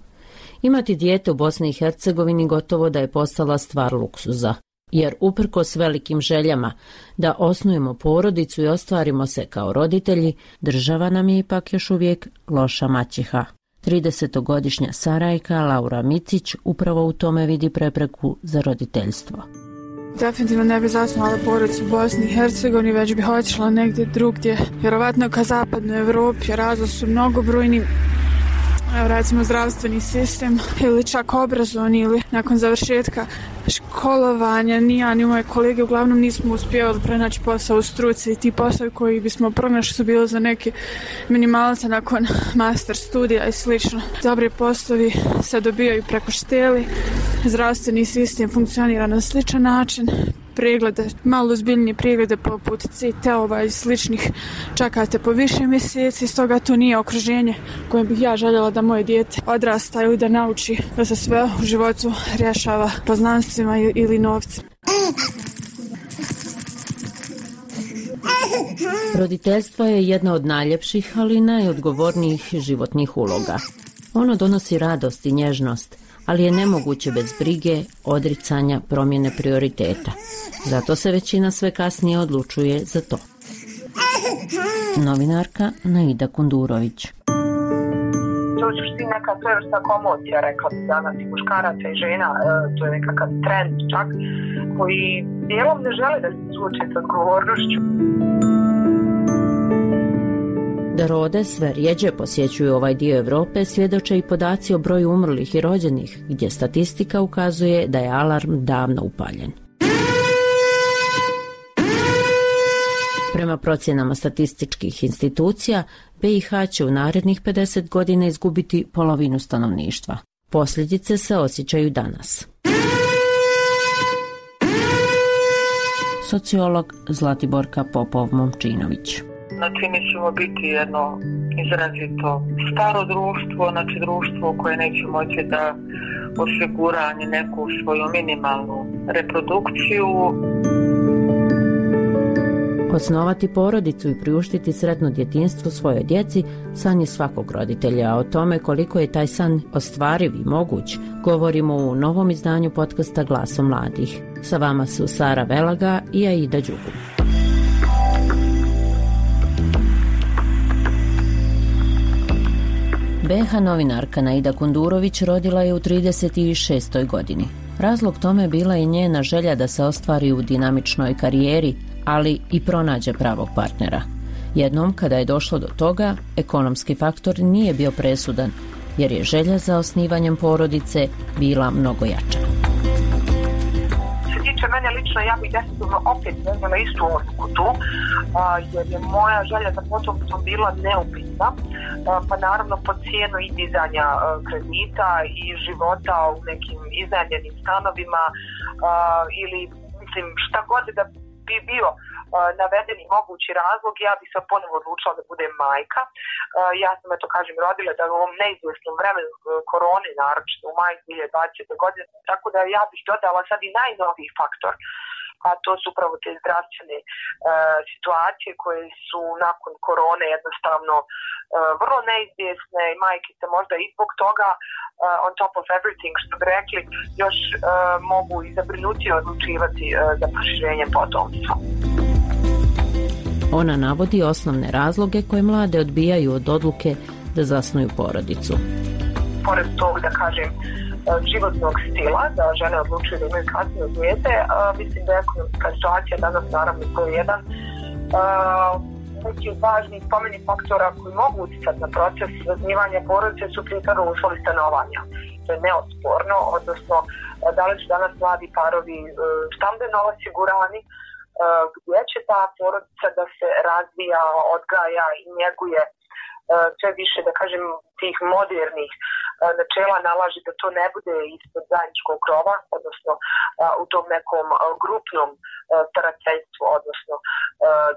Imati dijete u Bosni i Hercegovini gotovo da je postala stvar luksuza, jer uprkos velikim željama da osnujemo porodicu i ostvarimo se kao roditelji, država nam je ipak još uvijek loša maćeha. tridesetogodišnja Sarajka Laura Micić upravo u tome vidi prepreku za roditeljstvo. Definitivno ne bi zasnovala porodicu u Bosni i Hercegovini, već bi otišla negdje drugdje, vjerovatno ka zapadnoj Evropi. Razlozi su mnogobrojni, evo recimo zdravstveni sistem ili čak obrazovni, ili nakon završetka školovanja ni ja ni moje kolege uglavnom nismo uspjevali pronaći posao u struci i ti poslovi koji bismo pronašli su bili za neke minimalce nakon master studija i slično. Dobri poslovi se dobijaju preko šteli, zdravstveni sistem funkcionira na sličan način, preglede, malo ozbiljnije preglede poput C T-ova i sličnih čekate po više mjeseci, stoga to nije okruženje kojem bih ja željela da moje dijete odrasta ili da nauči da se sve u životu rješava poznanstvima ili novcem. Roditeljstvo je jedna od najljepših, ali i najodgovornijih životnih uloga. Ono donosi radost i nježnost, ali je nemoguće bez brige, odricanja, promjene prioriteta. Zato se većina sve kasnije odlučuje za to. Novinarka Naida Kundurović. To je suštini neka svojevrsna komocija, rekla bi danas, i muškaraca i žena, to je nekakav trend čak, koji dijelom ne žele da se suoče s odgovornošću. Da rode sve rjeđe posjećuju ovaj dio Evrope svjedoče i podaci o broju umrlih i rođenih, gdje statistika ukazuje da je alarm davno upaljen. Prema procjenama statističkih institucija, B i H će u narednih pedeset godina izgubiti polovinu stanovništva. Posljedice se osjećaju danas. Sociolog Zlatiborka Popov-Momčinović. Znači, mi ćemo biti jedno izrazito staro društvo, znači društvo koje neće moći da osigura ni neku svoju minimalnu reprodukciju. Osnovati porodicu i priuštiti sretno djetinjstvo svojoj djeci san je svakog roditelja, a o tome koliko je taj san ostvariv i moguć govorimo u novom izdanju podcasta Glasom mladih. Sa vama su Sara Velaga i Aida Đugu. B H novinarka Naida Kundurović rodila je u trideset šestoj godini. Razlog tome bila je njena želja da se ostvari u dinamičnoj karijeri, ali i pronađe pravog partnera. Jednom, kada je došlo do toga, ekonomski faktor nije bio presudan, jer je želja za osnivanjem porodice bila mnogo jača. Mene lično, ja bih definitivno opet vezala istu odluku tu, jer je moja želja za potomstvom bila neupitna, pa naravno po cijenu i dizanja kredita i života u nekim iznajmljenim stanovima ili mislim šta god da bi bio navedeni mogući razlog, ja bih se ponovo odlučila da budem majka. Ja sam, eto kažem, rodila da u ovom neizvjesnom vremenu korone, naročito u maju dvije tisuće dvadesete. godine, tako da ja bih dodala sad i najnoviji faktor, a to su upravo te zdravstvene e, situacije koje su nakon korone jednostavno e, vrlo neizvjesne i majke se možda i zbog toga e, on top of everything, što bi rekli, još e, mogu i zabrinutije odlučivati e, za proširenje potomstva. Ona navodi osnovne razloge koje mlade odbijaju od odluke da zasnuju porodicu. Pored tog, da kažem, životnog stila, da žene odlučuju da imaju kasnije dijete, mislim da je ekonomska situacija danas naravno to je jedan neki važni spomeni faktora koji mogu utjecati na proces zasnivanja porodice su prije toga uslovi stanovanja. To je neosporno, odnosno da li su danas mladi parovi stambeno osigurani, gdje će ta porodica da se razvija, odgaja i njeguje sve više, da kažem, tih modernih načela nalaže da to ne bude ispod zajedničkog krova, odnosno u tom nekom grupnom starateljstvu, odnosno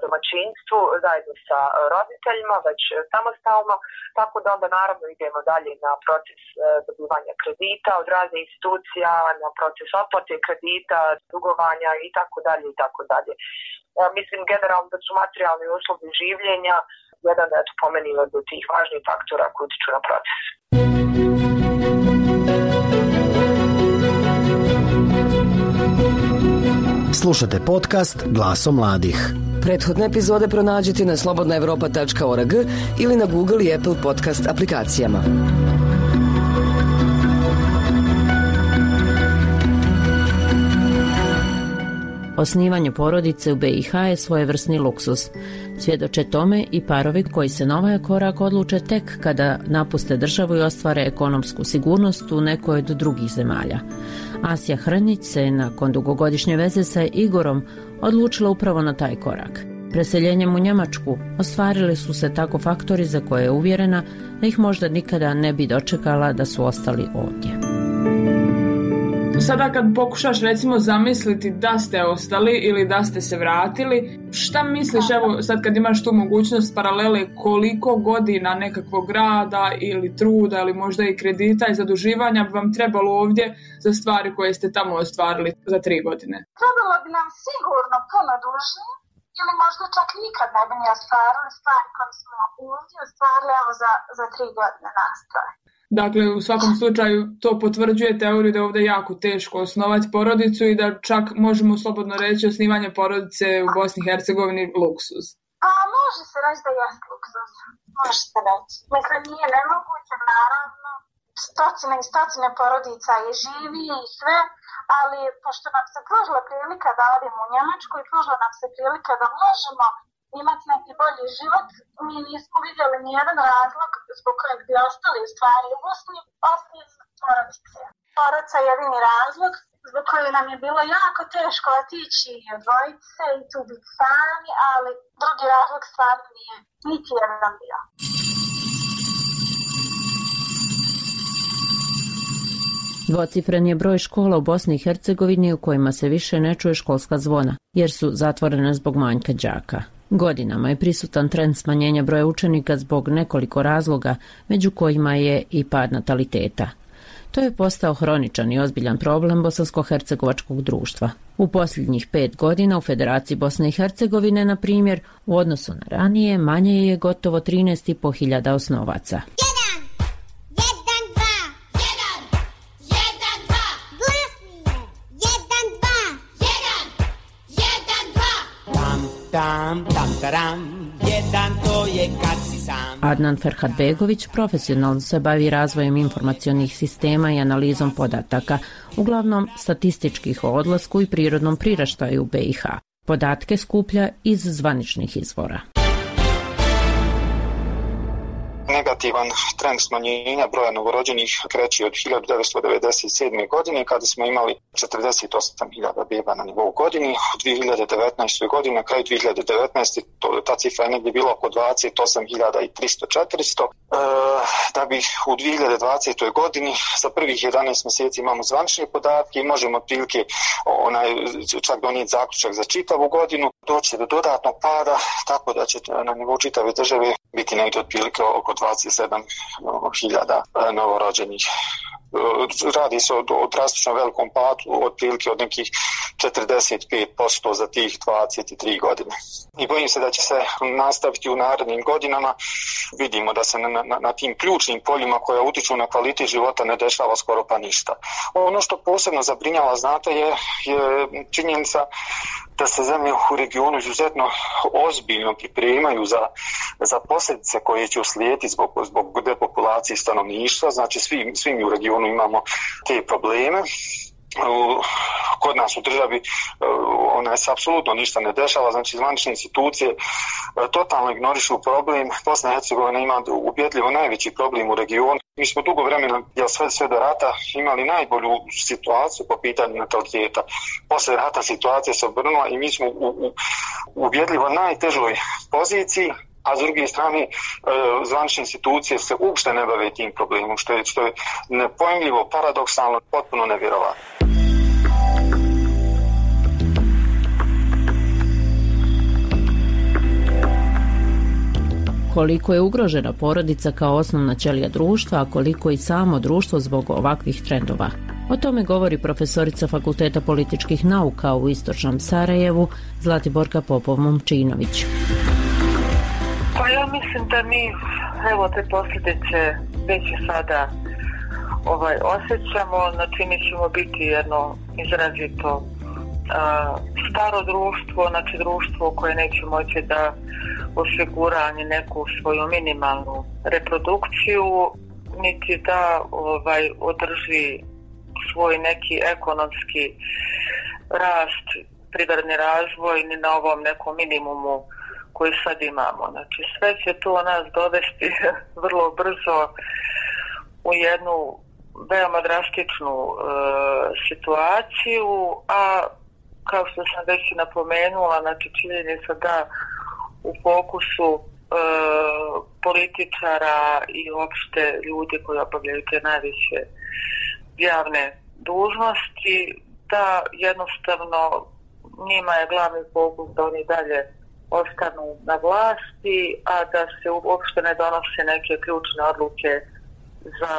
domaćinstvu zajedno sa roditeljima, već samostalno, tako da onda naravno idemo dalje na proces dobivanja kredita od raznih institucija, na proces otplate kredita, dugovanja i tako dalje i tako dalje. Mislim generalno da su materijalni uslovi življenja jedan da je to pomenilo do tih važnih faktora koji utiču na proces. Slušate podcast Glaso mladih. Prethodne epizode pronađite na slobodna evropa tačka org ili na Google i Apple podcast aplikacijama. Osnivanje porodice u B i H je svojevrsni luksuz. Svjedoče tome i parovi koji se na ovaj korak odluče tek kada napuste državu i ostvare ekonomsku sigurnost u nekoj od drugih zemalja. Asja Hrnić se nakon dugogodišnje veze sa Igorom odlučila upravo na taj korak. Preseljenjem u Njemačku ostvarili su se tako faktori za koje je uvjerena da ih možda nikada ne bi dočekala da su ostali ovdje. Sada kad pokušaš recimo zamisliti da ste ostali ili da ste se vratili, šta misliš, evo sad kad imaš tu mogućnost paralele, koliko godina nekakvog rada ili truda ili možda i kredita i zaduživanja bi vam trebalo ovdje za stvari koje ste tamo ostvarili za tri godine? Trebalo bi nam sigurno puno duže ili možda čak nikad ne bi ni ostvarili stvari koje smo ovdje ostvarili evo za, za tri godine nastaje. Dakle, u svakom slučaju to potvrđuje teoriju da je ovdje jako teško osnovati porodicu i da čak možemo slobodno reći osnivanje porodice u Bosni i Hercegovini luksuz. A može se reći da je luksuz, može se reći. Mislim, nije nemoguće, naravno, stotine i stotine porodica je živi i sve, ali pošto nam se pružila prilika da odimo u Njemačku i pružila nam se prilika da možemo imati neki bolji život, mi nismo vidjeli nijedan razlog zbog kojeg bi ostali u stvari u Bosni, osim porodice. Porodica je jedini razlog zbog kojeg nam je bilo jako teško otići i odvojiti se i tu biti sami, ali drugi razlog stvarno nije niti jedan bio. Dvocifren je broj škola u Bosni i Hercegovini u kojima se više ne čuje školska zvona, jer su zatvorene zbog manjka đaka. Godinama je prisutan trend smanjenja broja učenika zbog nekoliko razloga, među kojima je i pad nataliteta. To je postao hroničan i ozbiljan problem bosansko-hercegovačkog društva. U posljednjih pet godina u Federaciji Bosne i Hercegovine, na primjer, u odnosu na ranije, manje je gotovo trinaest i po hiljada osnovaca. Tam, tam, taram, jedan to je kad si sam. Adnan Ferhatbegović profesionalno se bavi razvojem informacionih sistema i analizom podataka, uglavnom statističkih o odlasku i prirodnom priraštaju u B i H. Podatke skuplja iz zvaničnih izvora. Negativan trend smanjenja broja novorođenih kreće od hiljadu devetsto devedeset sedme. godine kada smo imali četrdeset osam hiljada beba na nivou godini. U dvije hiljade devetnaestoj. godini, na kraju dvije hiljade devetnaeste. To, ta cifra je negdje bila oko dvadeset osam hiljada tristo do četiristo. E, da bi u dvije hiljade dvadesetoj. godini za prvih jedanaest mjeseci imamo zvanične podatke i možemo otprilike onaj, čak donijeti zaključak za čitavu godinu. Doći do dodatnog pada, tako da će na nivou čitave države biti negdje otprilike oko dvadeset sedam hiljada novorođenih. Radi se o, o drastično velikom padu, otprilike od nekih četrdeset pet posto za tih dvadeset tri godine. I bojim se da će se nastaviti u narednim godinama. Vidimo da se na, na, na tim ključnim poljima koja utiču na kvalitet života ne dešava skoro pa ništa. Ono što posebno zabrinjava, znate, je, je činjenica da se zemlje u regionu izuzetno ozbiljno pripremaju za, za posljedice koje će uslijediti zbog, zbog depopulacije stanovništva. Znači svi, svi mi u regionu imamo te probleme. Kod nas u državi ona se apsolutno ništa ne dešava, znači zvanične institucije totalno ignorišu problem. Bosna i Hercegovina ima ubjedljivo najveći problem u regionu. Mi smo dugo vremena, jel sve, sve do rata, imali najbolju situaciju po pitanju nataliteta. Posle rata situacija se obrnula i mi smo u, u ubjedljivo najtežoj poziciji, a s druge strane zvanične institucije se uopšte ne bave tim problemom, što je, što je nepojmljivo, paradoksalno, potpuno nevjerovatno. Koliko je ugrožena porodica kao osnovna ćelija društva, a koliko i samo društvo zbog ovakvih trendova. O tome govori profesorica Fakulteta političkih nauka u Istočnom Sarajevu Zlatiborka Popov-Momčinović. Pa ja mislim da mi evo te posljedice već sada ovaj, osjećamo, znači mi ćemo biti jedno izrazito a, staro društvo, znači društvo koje neće moći da osigura ni neku svoju minimalnu reprodukciju, niti da ovaj, održi svoj neki ekonomski rast, privredni razvoj, ni na ovom nekom minimumu koji sad imamo. Znači sve će to nas dovesti vrlo brzo u jednu veoma drastičnu e, situaciju, a kao što sam već napomenula, znači činjenica da u fokusu e, političara i uopšte ljudi koji obavljaju te najveće javne dužnosti, da jednostavno njima je glavni fokus da oni dalje ostanu na vlasti, a da se uopšte ne donose neke ključne odluke za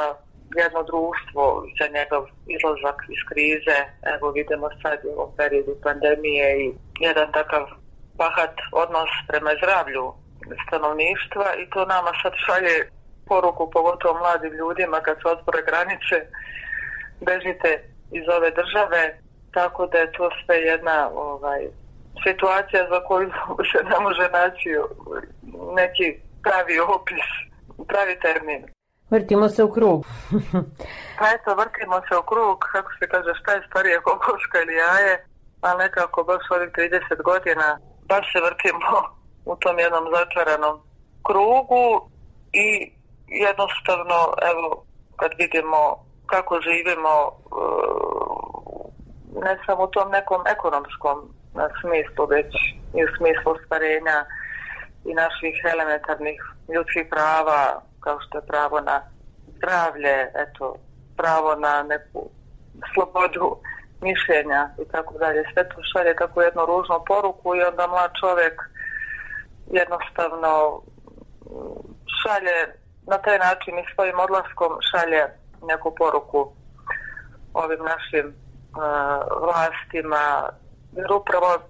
jedno društvo, za njegov izlazak iz krize. Evo vidimo sad u ovom periodu pandemije i jedan takav bahat odnos prema zdravlju stanovništva i to nama sad šalje poruku, pogotovo mladim ljudima kad se otvore granice, bežite iz ove države, tako da je to sve jedna ovaj, situacija za koju se ne može naći neki pravi opis, pravi termin. Vrtimo se u krug. Pa eto, vrtimo se u krug, kako se kaže, šta je starije, kokoška ili jaje, ali nekako baš ovih trideset godina baš se vrtimo u tom jednom začaranom krugu i jednostavno, evo, kad vidimo kako živimo, ne samo u tom nekom ekonomskom smislu, već i u smislu ostvarenja i naših elementarnih ljudskih prava, kao što je pravo na zdravlje, eto, pravo na neku slobodu mišljenja i tako dalje. Sve to šalje tako jednu ružnu poruku i onda mlad čovjek jednostavno šalje na taj način i svojim odlaskom šalje neku poruku ovim našim uh, vlastima, jer upravo m,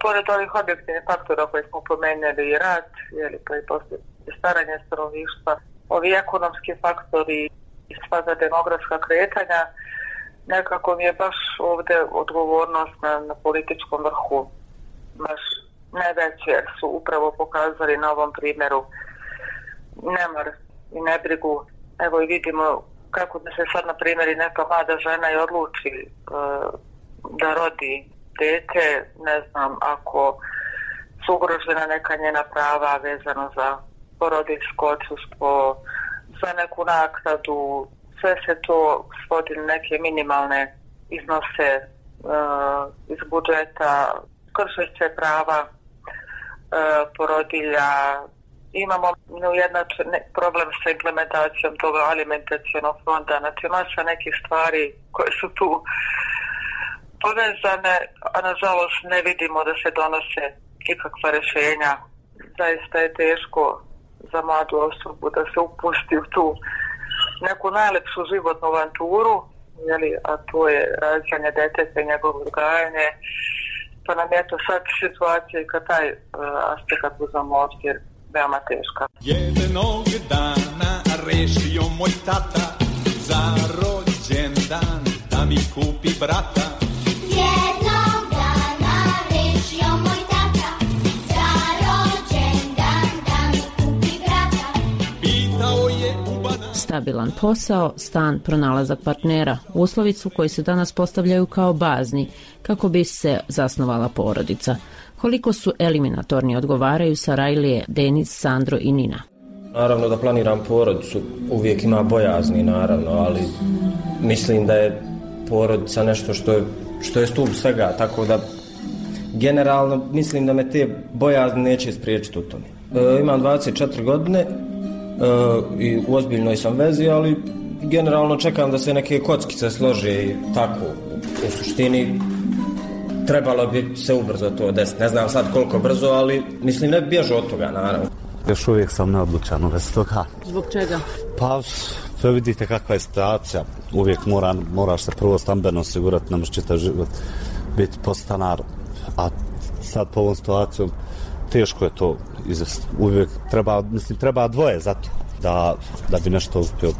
pored ovih objektivnih faktora koje smo pomenuli, i rat, jeli, pa i poslije staranje stanovništva, ovi ekonomski faktori i sva za demografska kretanja, nekako mi je baš ovdje odgovornost na, na političkom vrhu baš najveće, jer su upravo pokazali na ovom primjeru nemar i nebrigu. Evo i vidimo kako da se sad, na primjer, i neka mlada žena i odluči uh, da rodi dete, ne znam, ako su ugrožena neka njena prava vezano za porodiljsko odsustvo, za neku naknadu, sve se to svodi na neke minimalne iznose uh, iz budžeta, krše se prava uh, porodilja. Imamo neujednačen problem sa implementacijom toga alimentacionog fonda, znači masa nekih stvari koje su tu povezane, a nažalost ne vidimo da se donose ikakva rješenja. Zaista je teško za mladu osobu da se upusti u tu neku najlepšu životnu avanturu, jeli, a to je rađanje deteta i njegovo odgajanje, pa nam je to sad situacija i kad taj uh, aspekt uzamo obzir veoma teška. Jednog dana rešio moj tata za rođendan da mi kupi brata. Jednog dana rešio stabilan posao, stan, pronalazak partnera. Uslovi su koji se danas postavljaju kao bazni kako bi se zasnovala porodica. Koliko su eliminatorni odgovaraju Sarajlije, Denis, Sandro i Nina. Naravno da planiram porodicu, uvijek ima bojazni naravno, ali mislim da je porodica nešto što je, što je stup svega, tako da generalno mislim da me te bojazni neće spriječiti u tome. E, imam dvadeset četiri godine e, i u ozbiljnoj sam vezi, ali generalno čekam da se neke kockice slože i tako. U suštini trebalo bi se ubrzo to desiti. Ne znam sad koliko brzo, ali mislim ne bježu od toga naravno. Još uvijek sam neodlučan u vezi toga. Zbog čega? Pa, sve vidite kakva je situacija. Uvijek mora, moraš se prvo stambeno osigurati, ne možeš čitav život biti podstanar. A sad po ovom situacijom teško je to izvesti. Uvijek treba, mislim, treba dvoje za to da, da bi nešto uspio.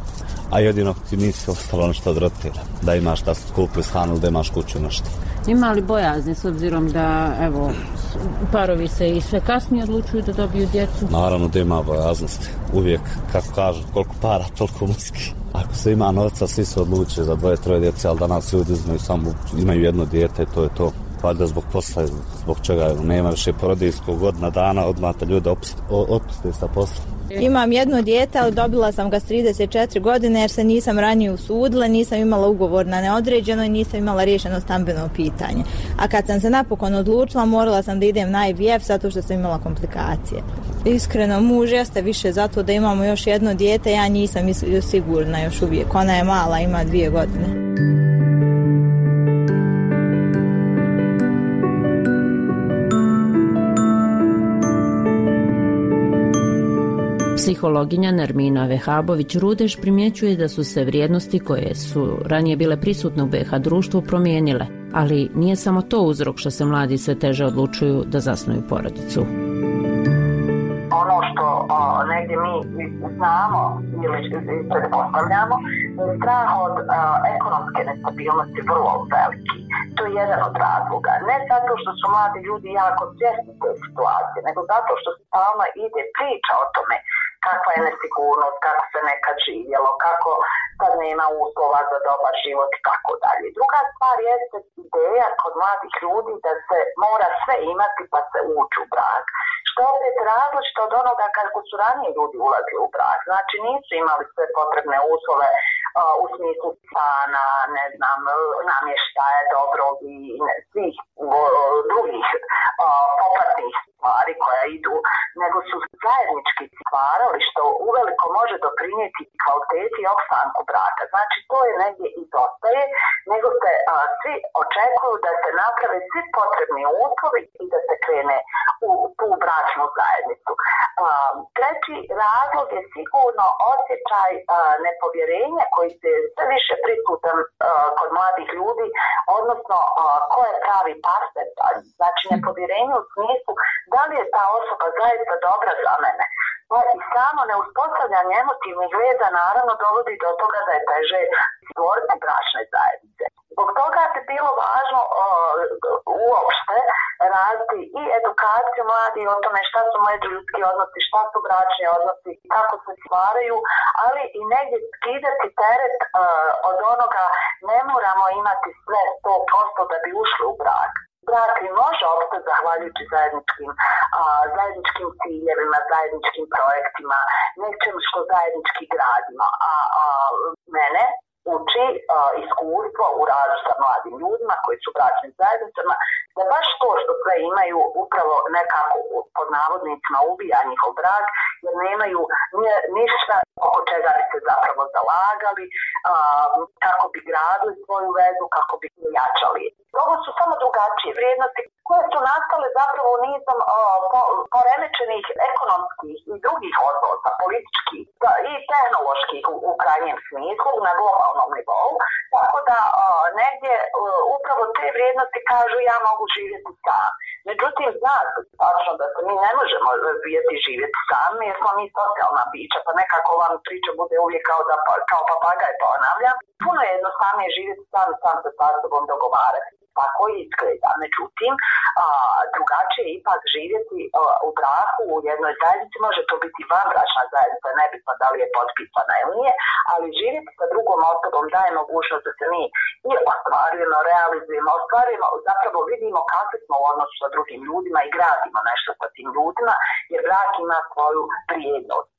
A jedino ti nisi ostalo nešto od roditelja. Da imaš da skupi stan ili da imaš kuću nešto. Ima li bojazni s obzirom da, evo, parovi se i sve kasnije odlučuju da dobiju djecu? Naravno da ima bojaznosti. Uvijek, kako kažu, koliko para, toliko muski. Ako se ima novca, svi se odlučuju za dvoje, troje djece, ali danas ljudi imaju samo, imaju jedno dijete, to je to. Valjda zbog posla, zbog čega nema više porodiljskog godina dana, odmah te ljude otpuste sa posla. Imam jedno dijete, ali dobila sam ga s trideset četiri godine jer se nisam ranije usudila, nisam imala ugovor na neodređeno i nisam imala riješeno stambeno pitanje. A kad sam se napokon odlučila, morala sam da idem na I V F zato što sam imala komplikacije. Iskreno, muž jeste više zato da imamo još jedno dijete, ja nisam sigurna još uvijek. Ona je mala, ima dvije godine. Psihologinja Nermina Vehabović-Rudeš primjećuje da su se vrijednosti koje su ranije bile prisutne u B H društvu promijenile, ali nije samo to uzrok što se mladi sve teže odlučuju da zasnuju porodicu. Ono što o, negdje mi znamo ili pretpostavljamo, strah od o, ekonomske nestabilnosti vrlo veliki. To je jedan od razloga. Ne zato što su mladi ljudi jako svjesni te situacije, nego zato što stalno ide priča o tome kakva je nesigurnost, kako se nekad živjelo, kako sad nema uslova za dobar život i tako dalje. Druga stvar jeste ideja kod mladih ljudi da se mora sve imati pa se ući u brak. Što opet različito od onoga kako su ranije ljudi ulazili u brak. Znači nisu imali sve potrebne uslove uh, u smislu stana, ne znam, namještaja dobrog i ne, svih uh, drugih uh, popratnih stvari koja idu, nego su zajednički stvarali što uveliko može doprinijeti kvaliteti i opstanku braka. Znači to je negdje izostaje, nego se a, svi očekuju da se naprave svi potrebni uslovi i da se krene u tu bračnu zajednicu. A, treći razlog je sigurno osjećaj a, nepovjerenja koji se sve više prisutan a, kod mladih ljudi, odnosno a, ko je pravi partner. Znači nepovjerenje u smislu da li je ta osoba zaista dobra za mene. I samo neuspostavljanje emotivnih veza naravno dovodi do toga da je teže stvoriti bračne zajednice. Zbog toga bi bilo važno uh, uopšte raditi i edukaciju mladih o tome šta su međuljudski odnosi, šta su bračni odnosi, kako se stvaraju, ali i negdje skidati teret uh, od onoga ne moramo imati sve sto posto da bi ušli u brak. Brak i može opstati zahvaljujući zajedničkim, a, zajedničkim ciljevima, zajedničkim projektima, nečem što zajednički gradimo. A, a mene uči a, iskustvo u radu sa mladim ljudima koji su u bračnim zajednicama, da baš to što sve imaju upravo nekako pod navodnicima ubija njihov brak, jer nemaju ništa oko čega bi se zapravo zalagali, a, kako bi gradili svoju vezu, kako bi jačali. Ovo su samo drugačije vrijednosti koje su nastale zapravo nizom o, po, poremećenih ekonomskih i drugih odnosa, političkih i tehnoloških u, u krajnjem smislu na globalnom nivou. Tako da o, negdje o, upravo te vrijednosti kažu ja mogu živjeti sam. Međutim, zna se tačno da se mi ne možemo razvijeti živjeti sami jer smo mi socijalna bića, pa nekako vam priča bude uvijek kao, da, kao papagaj ponavljam. Puno je jednostavnije živjeti sam i sam se sa sobom dogovarati. tako izgleda. Međutim, a, drugačije je ipak živjeti a, u braku u jednoj zajednici, može to biti vanbračna zajednica, nebitno da li je potpisana ili nije, ali živjeti sa drugom osobom daje mogućnost da se mi i ostvarujemo, realizujemo, ostvarujemo, zapravo vidimo kakvi smo u odnosu sa drugim ljudima i gradimo nešto sa tim ljudima, jer brak ima svoju vrijednost.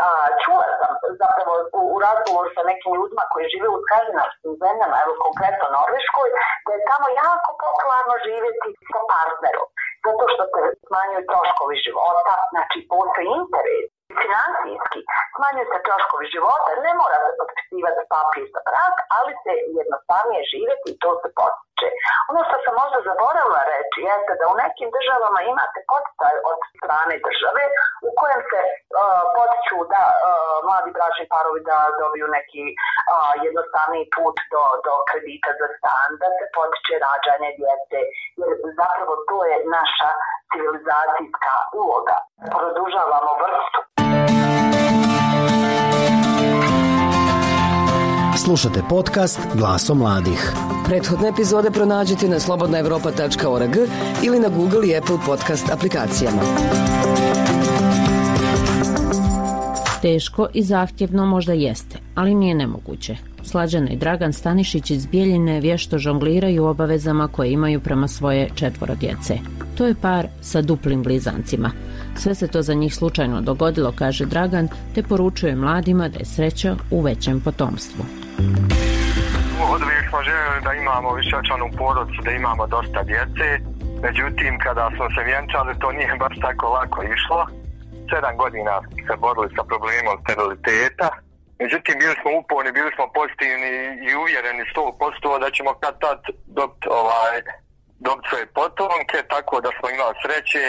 A, čula sam zapravo u, u razgovoru sa nekim ljudima koji žive u skandinavskim zemljama, evo konkretno Norveškoj, da je tamo jako popularno živjeti sa partnerom, zato što se smanjuju troškovi života, znači postoji interes financijski, smanjuju se troškovi života, ne mora se potpisivati papir za brak, ali se jednostavnije živjeti i to se potiče. Ono što sam možda zaboravila reći jeste da u nekim državama imate poticaj od strane države u kojem se uh, potiču da uh, mladi bračni parovi da dobiju neki uh, jednostavniji put do, do kredita za stan, da se potiče rađanje djece, jer zapravo to je naša civilizacijska uloga. Produžavamo vrstu. Slušate podcast Glasom mladih. Prethodne epizode pronađite na slobodna evropa tačka org ili na Google i Apple podcast aplikacijama. Teško i zahtjevno možda jeste, ali nije nemoguće. Slađana i Dragan Stanišić iz Bijeljine vješto žongliraju obavezama koje imaju prema svoje četvoro djece. To je par sa duplim blizancima. Sve se to za njih slučajno dogodilo, kaže Dragan, te poručuje mladima da je sreća u većem potomstvu. Uvijek smo željeli da imamo višečlanu porodicu, da imamo dosta djece. Međutim, kada smo se vjenčali, to nije baš tako lako išlo. Sedam godina se borili sa problemom steriliteta. Međutim, bili smo uporni, bili smo pozitivni i uvjereni sto posto da ćemo kad tad dobiti ovaj, dobiti svoje potomke, tako da smo imali sreće.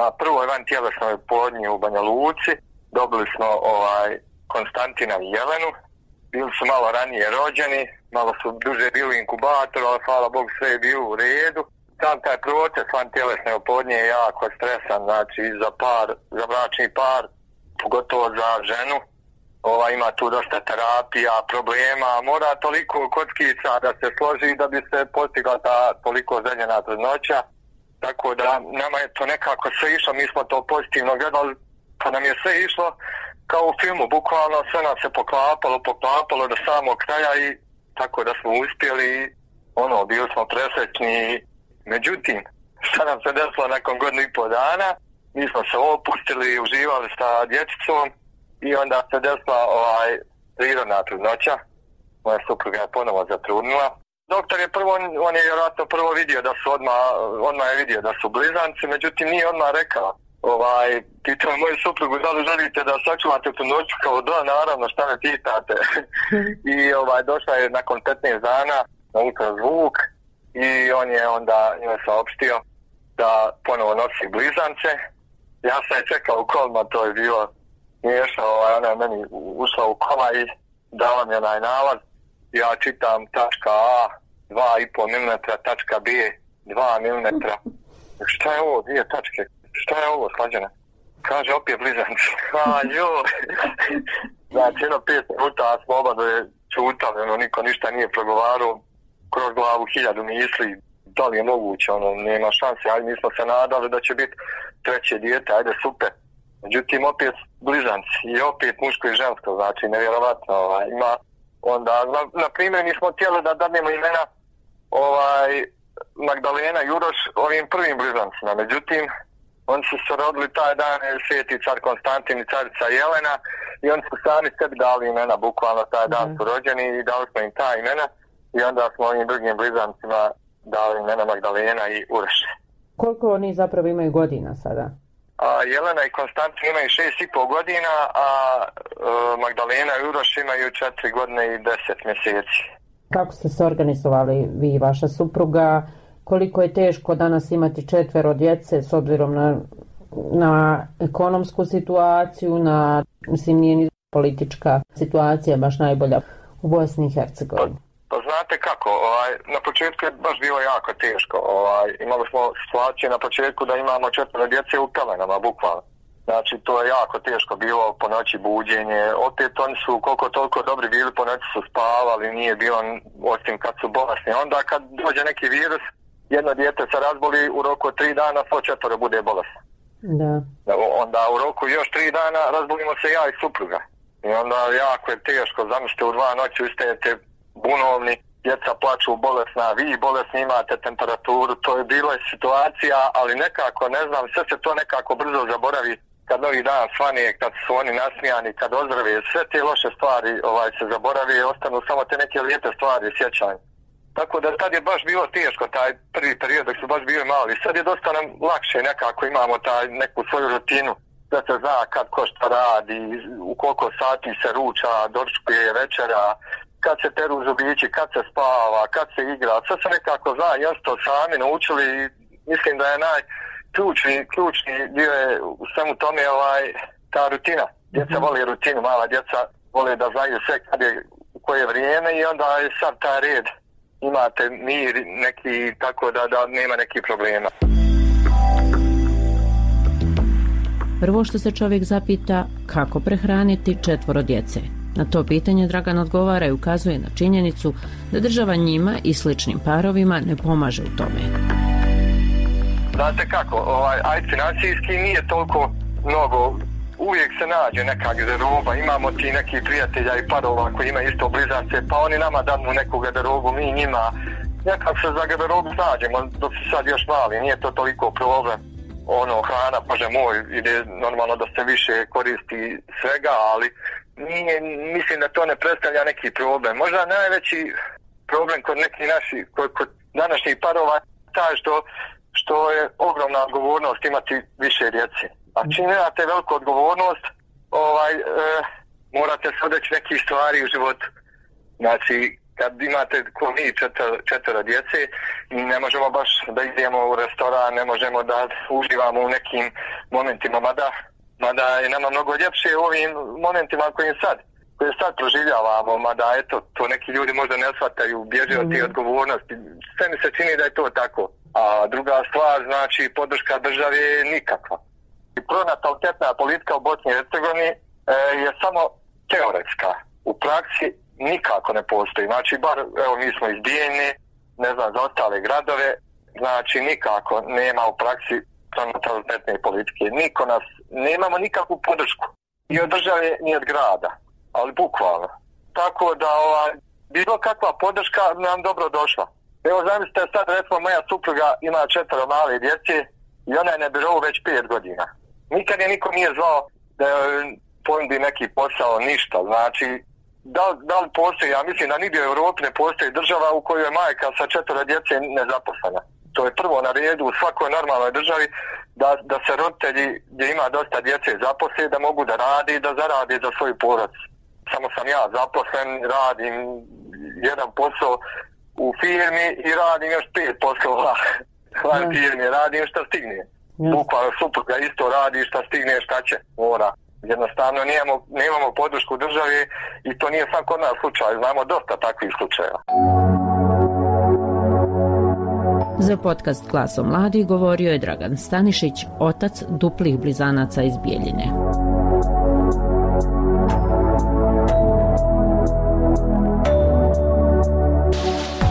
Na prvoj vantjelesnoj oplodnji u Banja Luci dobili smo ovaj Konstantina i Jelenu. Bili su malo ranije rođeni, malo su duže bili u inkubatoru, ali hvala Bogu sve je bilo u redu. Sam taj proces vantjelesne oplodnje je jako stresan, znači za par, za bračni par, pogotovo za ženu. Ova, ima tu dosta terapija, problema, mora toliko kockica da se složi da bi se postigla ta toliko željena trudnoća. Tako da nama je to nekako sve išlo, mi smo to pozitivno gledali, pa nam je sve išlo kao u filmu, bukvalno sve nam se poklapalo, poklapalo do samog kraja i tako da smo uspjeli, ono, bili smo presrećni. Međutim, šta nam se desilo nakon godinu i pol dana, mi smo se opustili, uživali sa dječicom i onda se desila ovaj, prirodna trudnoća. Moja supruga je ponovo zatrudnila. Doktor je prvo, on je vjerojatno prvo vidio da su odmah, odmah je vidio da su blizanci, međutim nije odmah rekao. Ovaj, pitao moju suprugu da li želite da sačuvate tu noću, kao da, naravno, šta me pitate. I ovaj, došla je nakon petnaest dana na ultrazvuk i on je onda njoj saopštio da ponovo nosi blizance. Ja sam je čekao u kolima, to je bilo smiješno, ovaj, ona je meni ušla u kola i dala mi onaj nalaz. Ja čitam tačka A dva i pol milimetra, tačka B dva milimetra. Šta je ovo, dvije tačke? Šta je ovo, Slađana? Kaže, opet blizanci. A, joj. Znači, jedno pet minuta smo oba da je čutali, ono, niko ništa nije progovarao. Kroz glavu hiljadu misli, da li je moguće, ono, nema šanse, ajde, mi smo se nadali da će biti treće dijete, ajde, super. Međutim, opet blizanci i opet muško i žensko, znači, nevjerovatno, ovaj, ima. Onda, na, na primjer, nismo htjeli da dadnemo imena ovaj, Magdalena i Uroš ovim prvim blizancima. Međutim, oni su se rodili taj dan, sveti car Konstantin i carica Jelena, i oni su sami sebi dali imena, bukvalno taj dan su rođeni i dali smo im ta imena i onda smo ovim drugim blizancima dali imena Magdalena i Uroš. Koliko oni zapravo imaju godina sada? A, Jelena i Konstantin imaju šest i pol godina, a e, Magdalena i Uroš imaju četiri godine i deset mjeseci. Kako ste se organizovali vi i vaša supruga? Koliko je teško danas imati četvero djece s obzirom na, na ekonomsku situaciju, na, mislim, nije ni politička situacija baš najbolja u Bosni i Hercegovini? Pa, pa znate kako, ovaj, na početku je baš bilo jako teško. Ovaj, imali smo situaciju na početku da imamo četvero djece u pelenama, bukvalno. Znači, to je jako teško bilo po noći buđenje. Opet oni su koliko toliko dobri bili, po noći su spavali, nije bilo osim kad su bolesni. Onda kad dođe neki virus, jedno dijete se razboli, u roku od tri dana svo četvoro bude bolesno. Da. Onda u roku još tri dana razbolimo se ja i supruga. I onda jako je teško, zamislite u dva noći ustajete bunovni, djeca plaču bolesna, vi bolesni imate temperaturu, to je bila situacija, ali nekako, ne znam, sve se to nekako brzo zaboravi kad novi dan svane, kad su oni nasmijani, kad ozdrave, sve te loše stvari ovaj, se zaborave i ostanu samo te neke lijepe stvari, sjećanje. Tako da tad je baš bilo teško, taj prvi period dok su baš bili mali. Sad je dosta nam lakše, nekako imamo taj neku svoju rutinu, da se zna kad ko šta radi, u koliko sati se ruča, doručkuje, večera, kad se peru zubići, kad se spava, kad se igra, sve se nekako zna, jasno sami naučili i mislim da je najključni ključni dio je u svemu tome ovaj, ta rutina. Djeca mm-hmm. vole rutinu, mala djeca vole da znaju sve kad je, u koje vrijeme i onda je sad taj red. Imate mir neki, tako da, da nema nekih problema. Prvo što se čovjek zapita, kako prehraniti četvoro djece. Na to pitanje Dragan odgovara i ukazuje na činjenicu da država njima i sličnim parovima ne pomaže u tome. Znate kako, ovaj, aj financijski nije toliko mnogo, uvijek se nađe neka garderoba, imamo ti neki prijatelja i parova koji imaju isto blizance, pa oni nama danu neku garderobu, mi njima, nekako se za garderobu nađemo, dok su sad još mali, nije to toliko problem. Ono, hrana, bože moj, ide normalno da se više koristi svega, ali nije, mislim da to ne predstavlja neki problem. Možda najveći problem kod nekih naših, kod, kod današnjih parova je taj što, što je ogromna odgovornost imati više djece. A čim imate veliku odgovornost, ovaj, e, morate se odreći nekih stvari u životu. Znači, kad imate ko mi četvero, četvero djece, ne možemo baš da idemo u restoran, ne možemo da uživamo u nekim momentima, mada, mada je nama mnogo ljepše u ovim momentima kojim sad, koje sad proživljavamo, mada eto, to neki ljudi možda ne shvataju, bježe od tih odgovornosti. Sve mi se čini da je to tako. A druga stvar, znači, podrška države je nikakva. I pronatalitetna politika u Bosni i Hercegovini e, je samo teoretska. U praksi nikako ne postoji. Znači, bar, evo, mi smo iz Bijeljne, ne znam, za ostale gradove, znači, nikako nema u praksi pronatalitetne politike. Niko nas, nemamo nikakvu podršku. I od države, ni od grada. Ali bukvalno. Tako da, ovaj, bilo kakva podrška nam dobro došla. Evo, zamislite, sad, recimo, moja supruga ima četvero male djece i ona je na birovu već pet godina. Nikad je niko nije zvao da ponudi neki posao, ništa. Znači, da, da li postoji, ja mislim da nigdje u Europi ne postoji država u kojoj je majka sa četvero djece nezaposlena. To je prvo na redu u svakoj normalnoj državi da, da se roditelji gdje ima dosta djece zaposle, da mogu da radi i da zaradi za svoju porodicu. Samo sam ja zaposlen, radim jedan posao u firmi i radim još pet poslova u firmi, radim što stigne. Bukvalno supruga isto radi šta stigne, šta će, mora. Jednostavno nemamo, nemamo podršku države i to nije sam kod nas slučaj, znamo dosta takvih slučajeva. Za podcast Glasom mladih govorio je Dragan Stanišić, otac duplih blizanaca iz Bijeljine.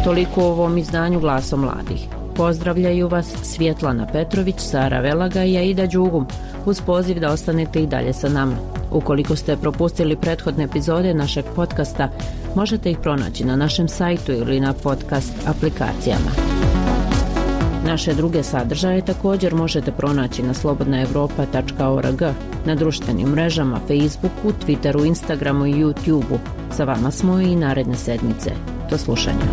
Toliko u ovom izdanju Glasom mladih. Pozdravljaju vas Svjetlana Petrović, Sara Velaga i Aida Đugum, uz poziv da ostanete i dalje sa nama. Ukoliko ste propustili prethodne epizode našeg podcasta, možete ih pronaći na našem sajtu ili na podcast aplikacijama. Naše druge sadržaje također možete pronaći na slobodna evropa tačka org, na društvenim mrežama Facebooku, Twitteru, Instagramu i YouTubeu. Sa vama smo i naredne sedmice. Do slušanja.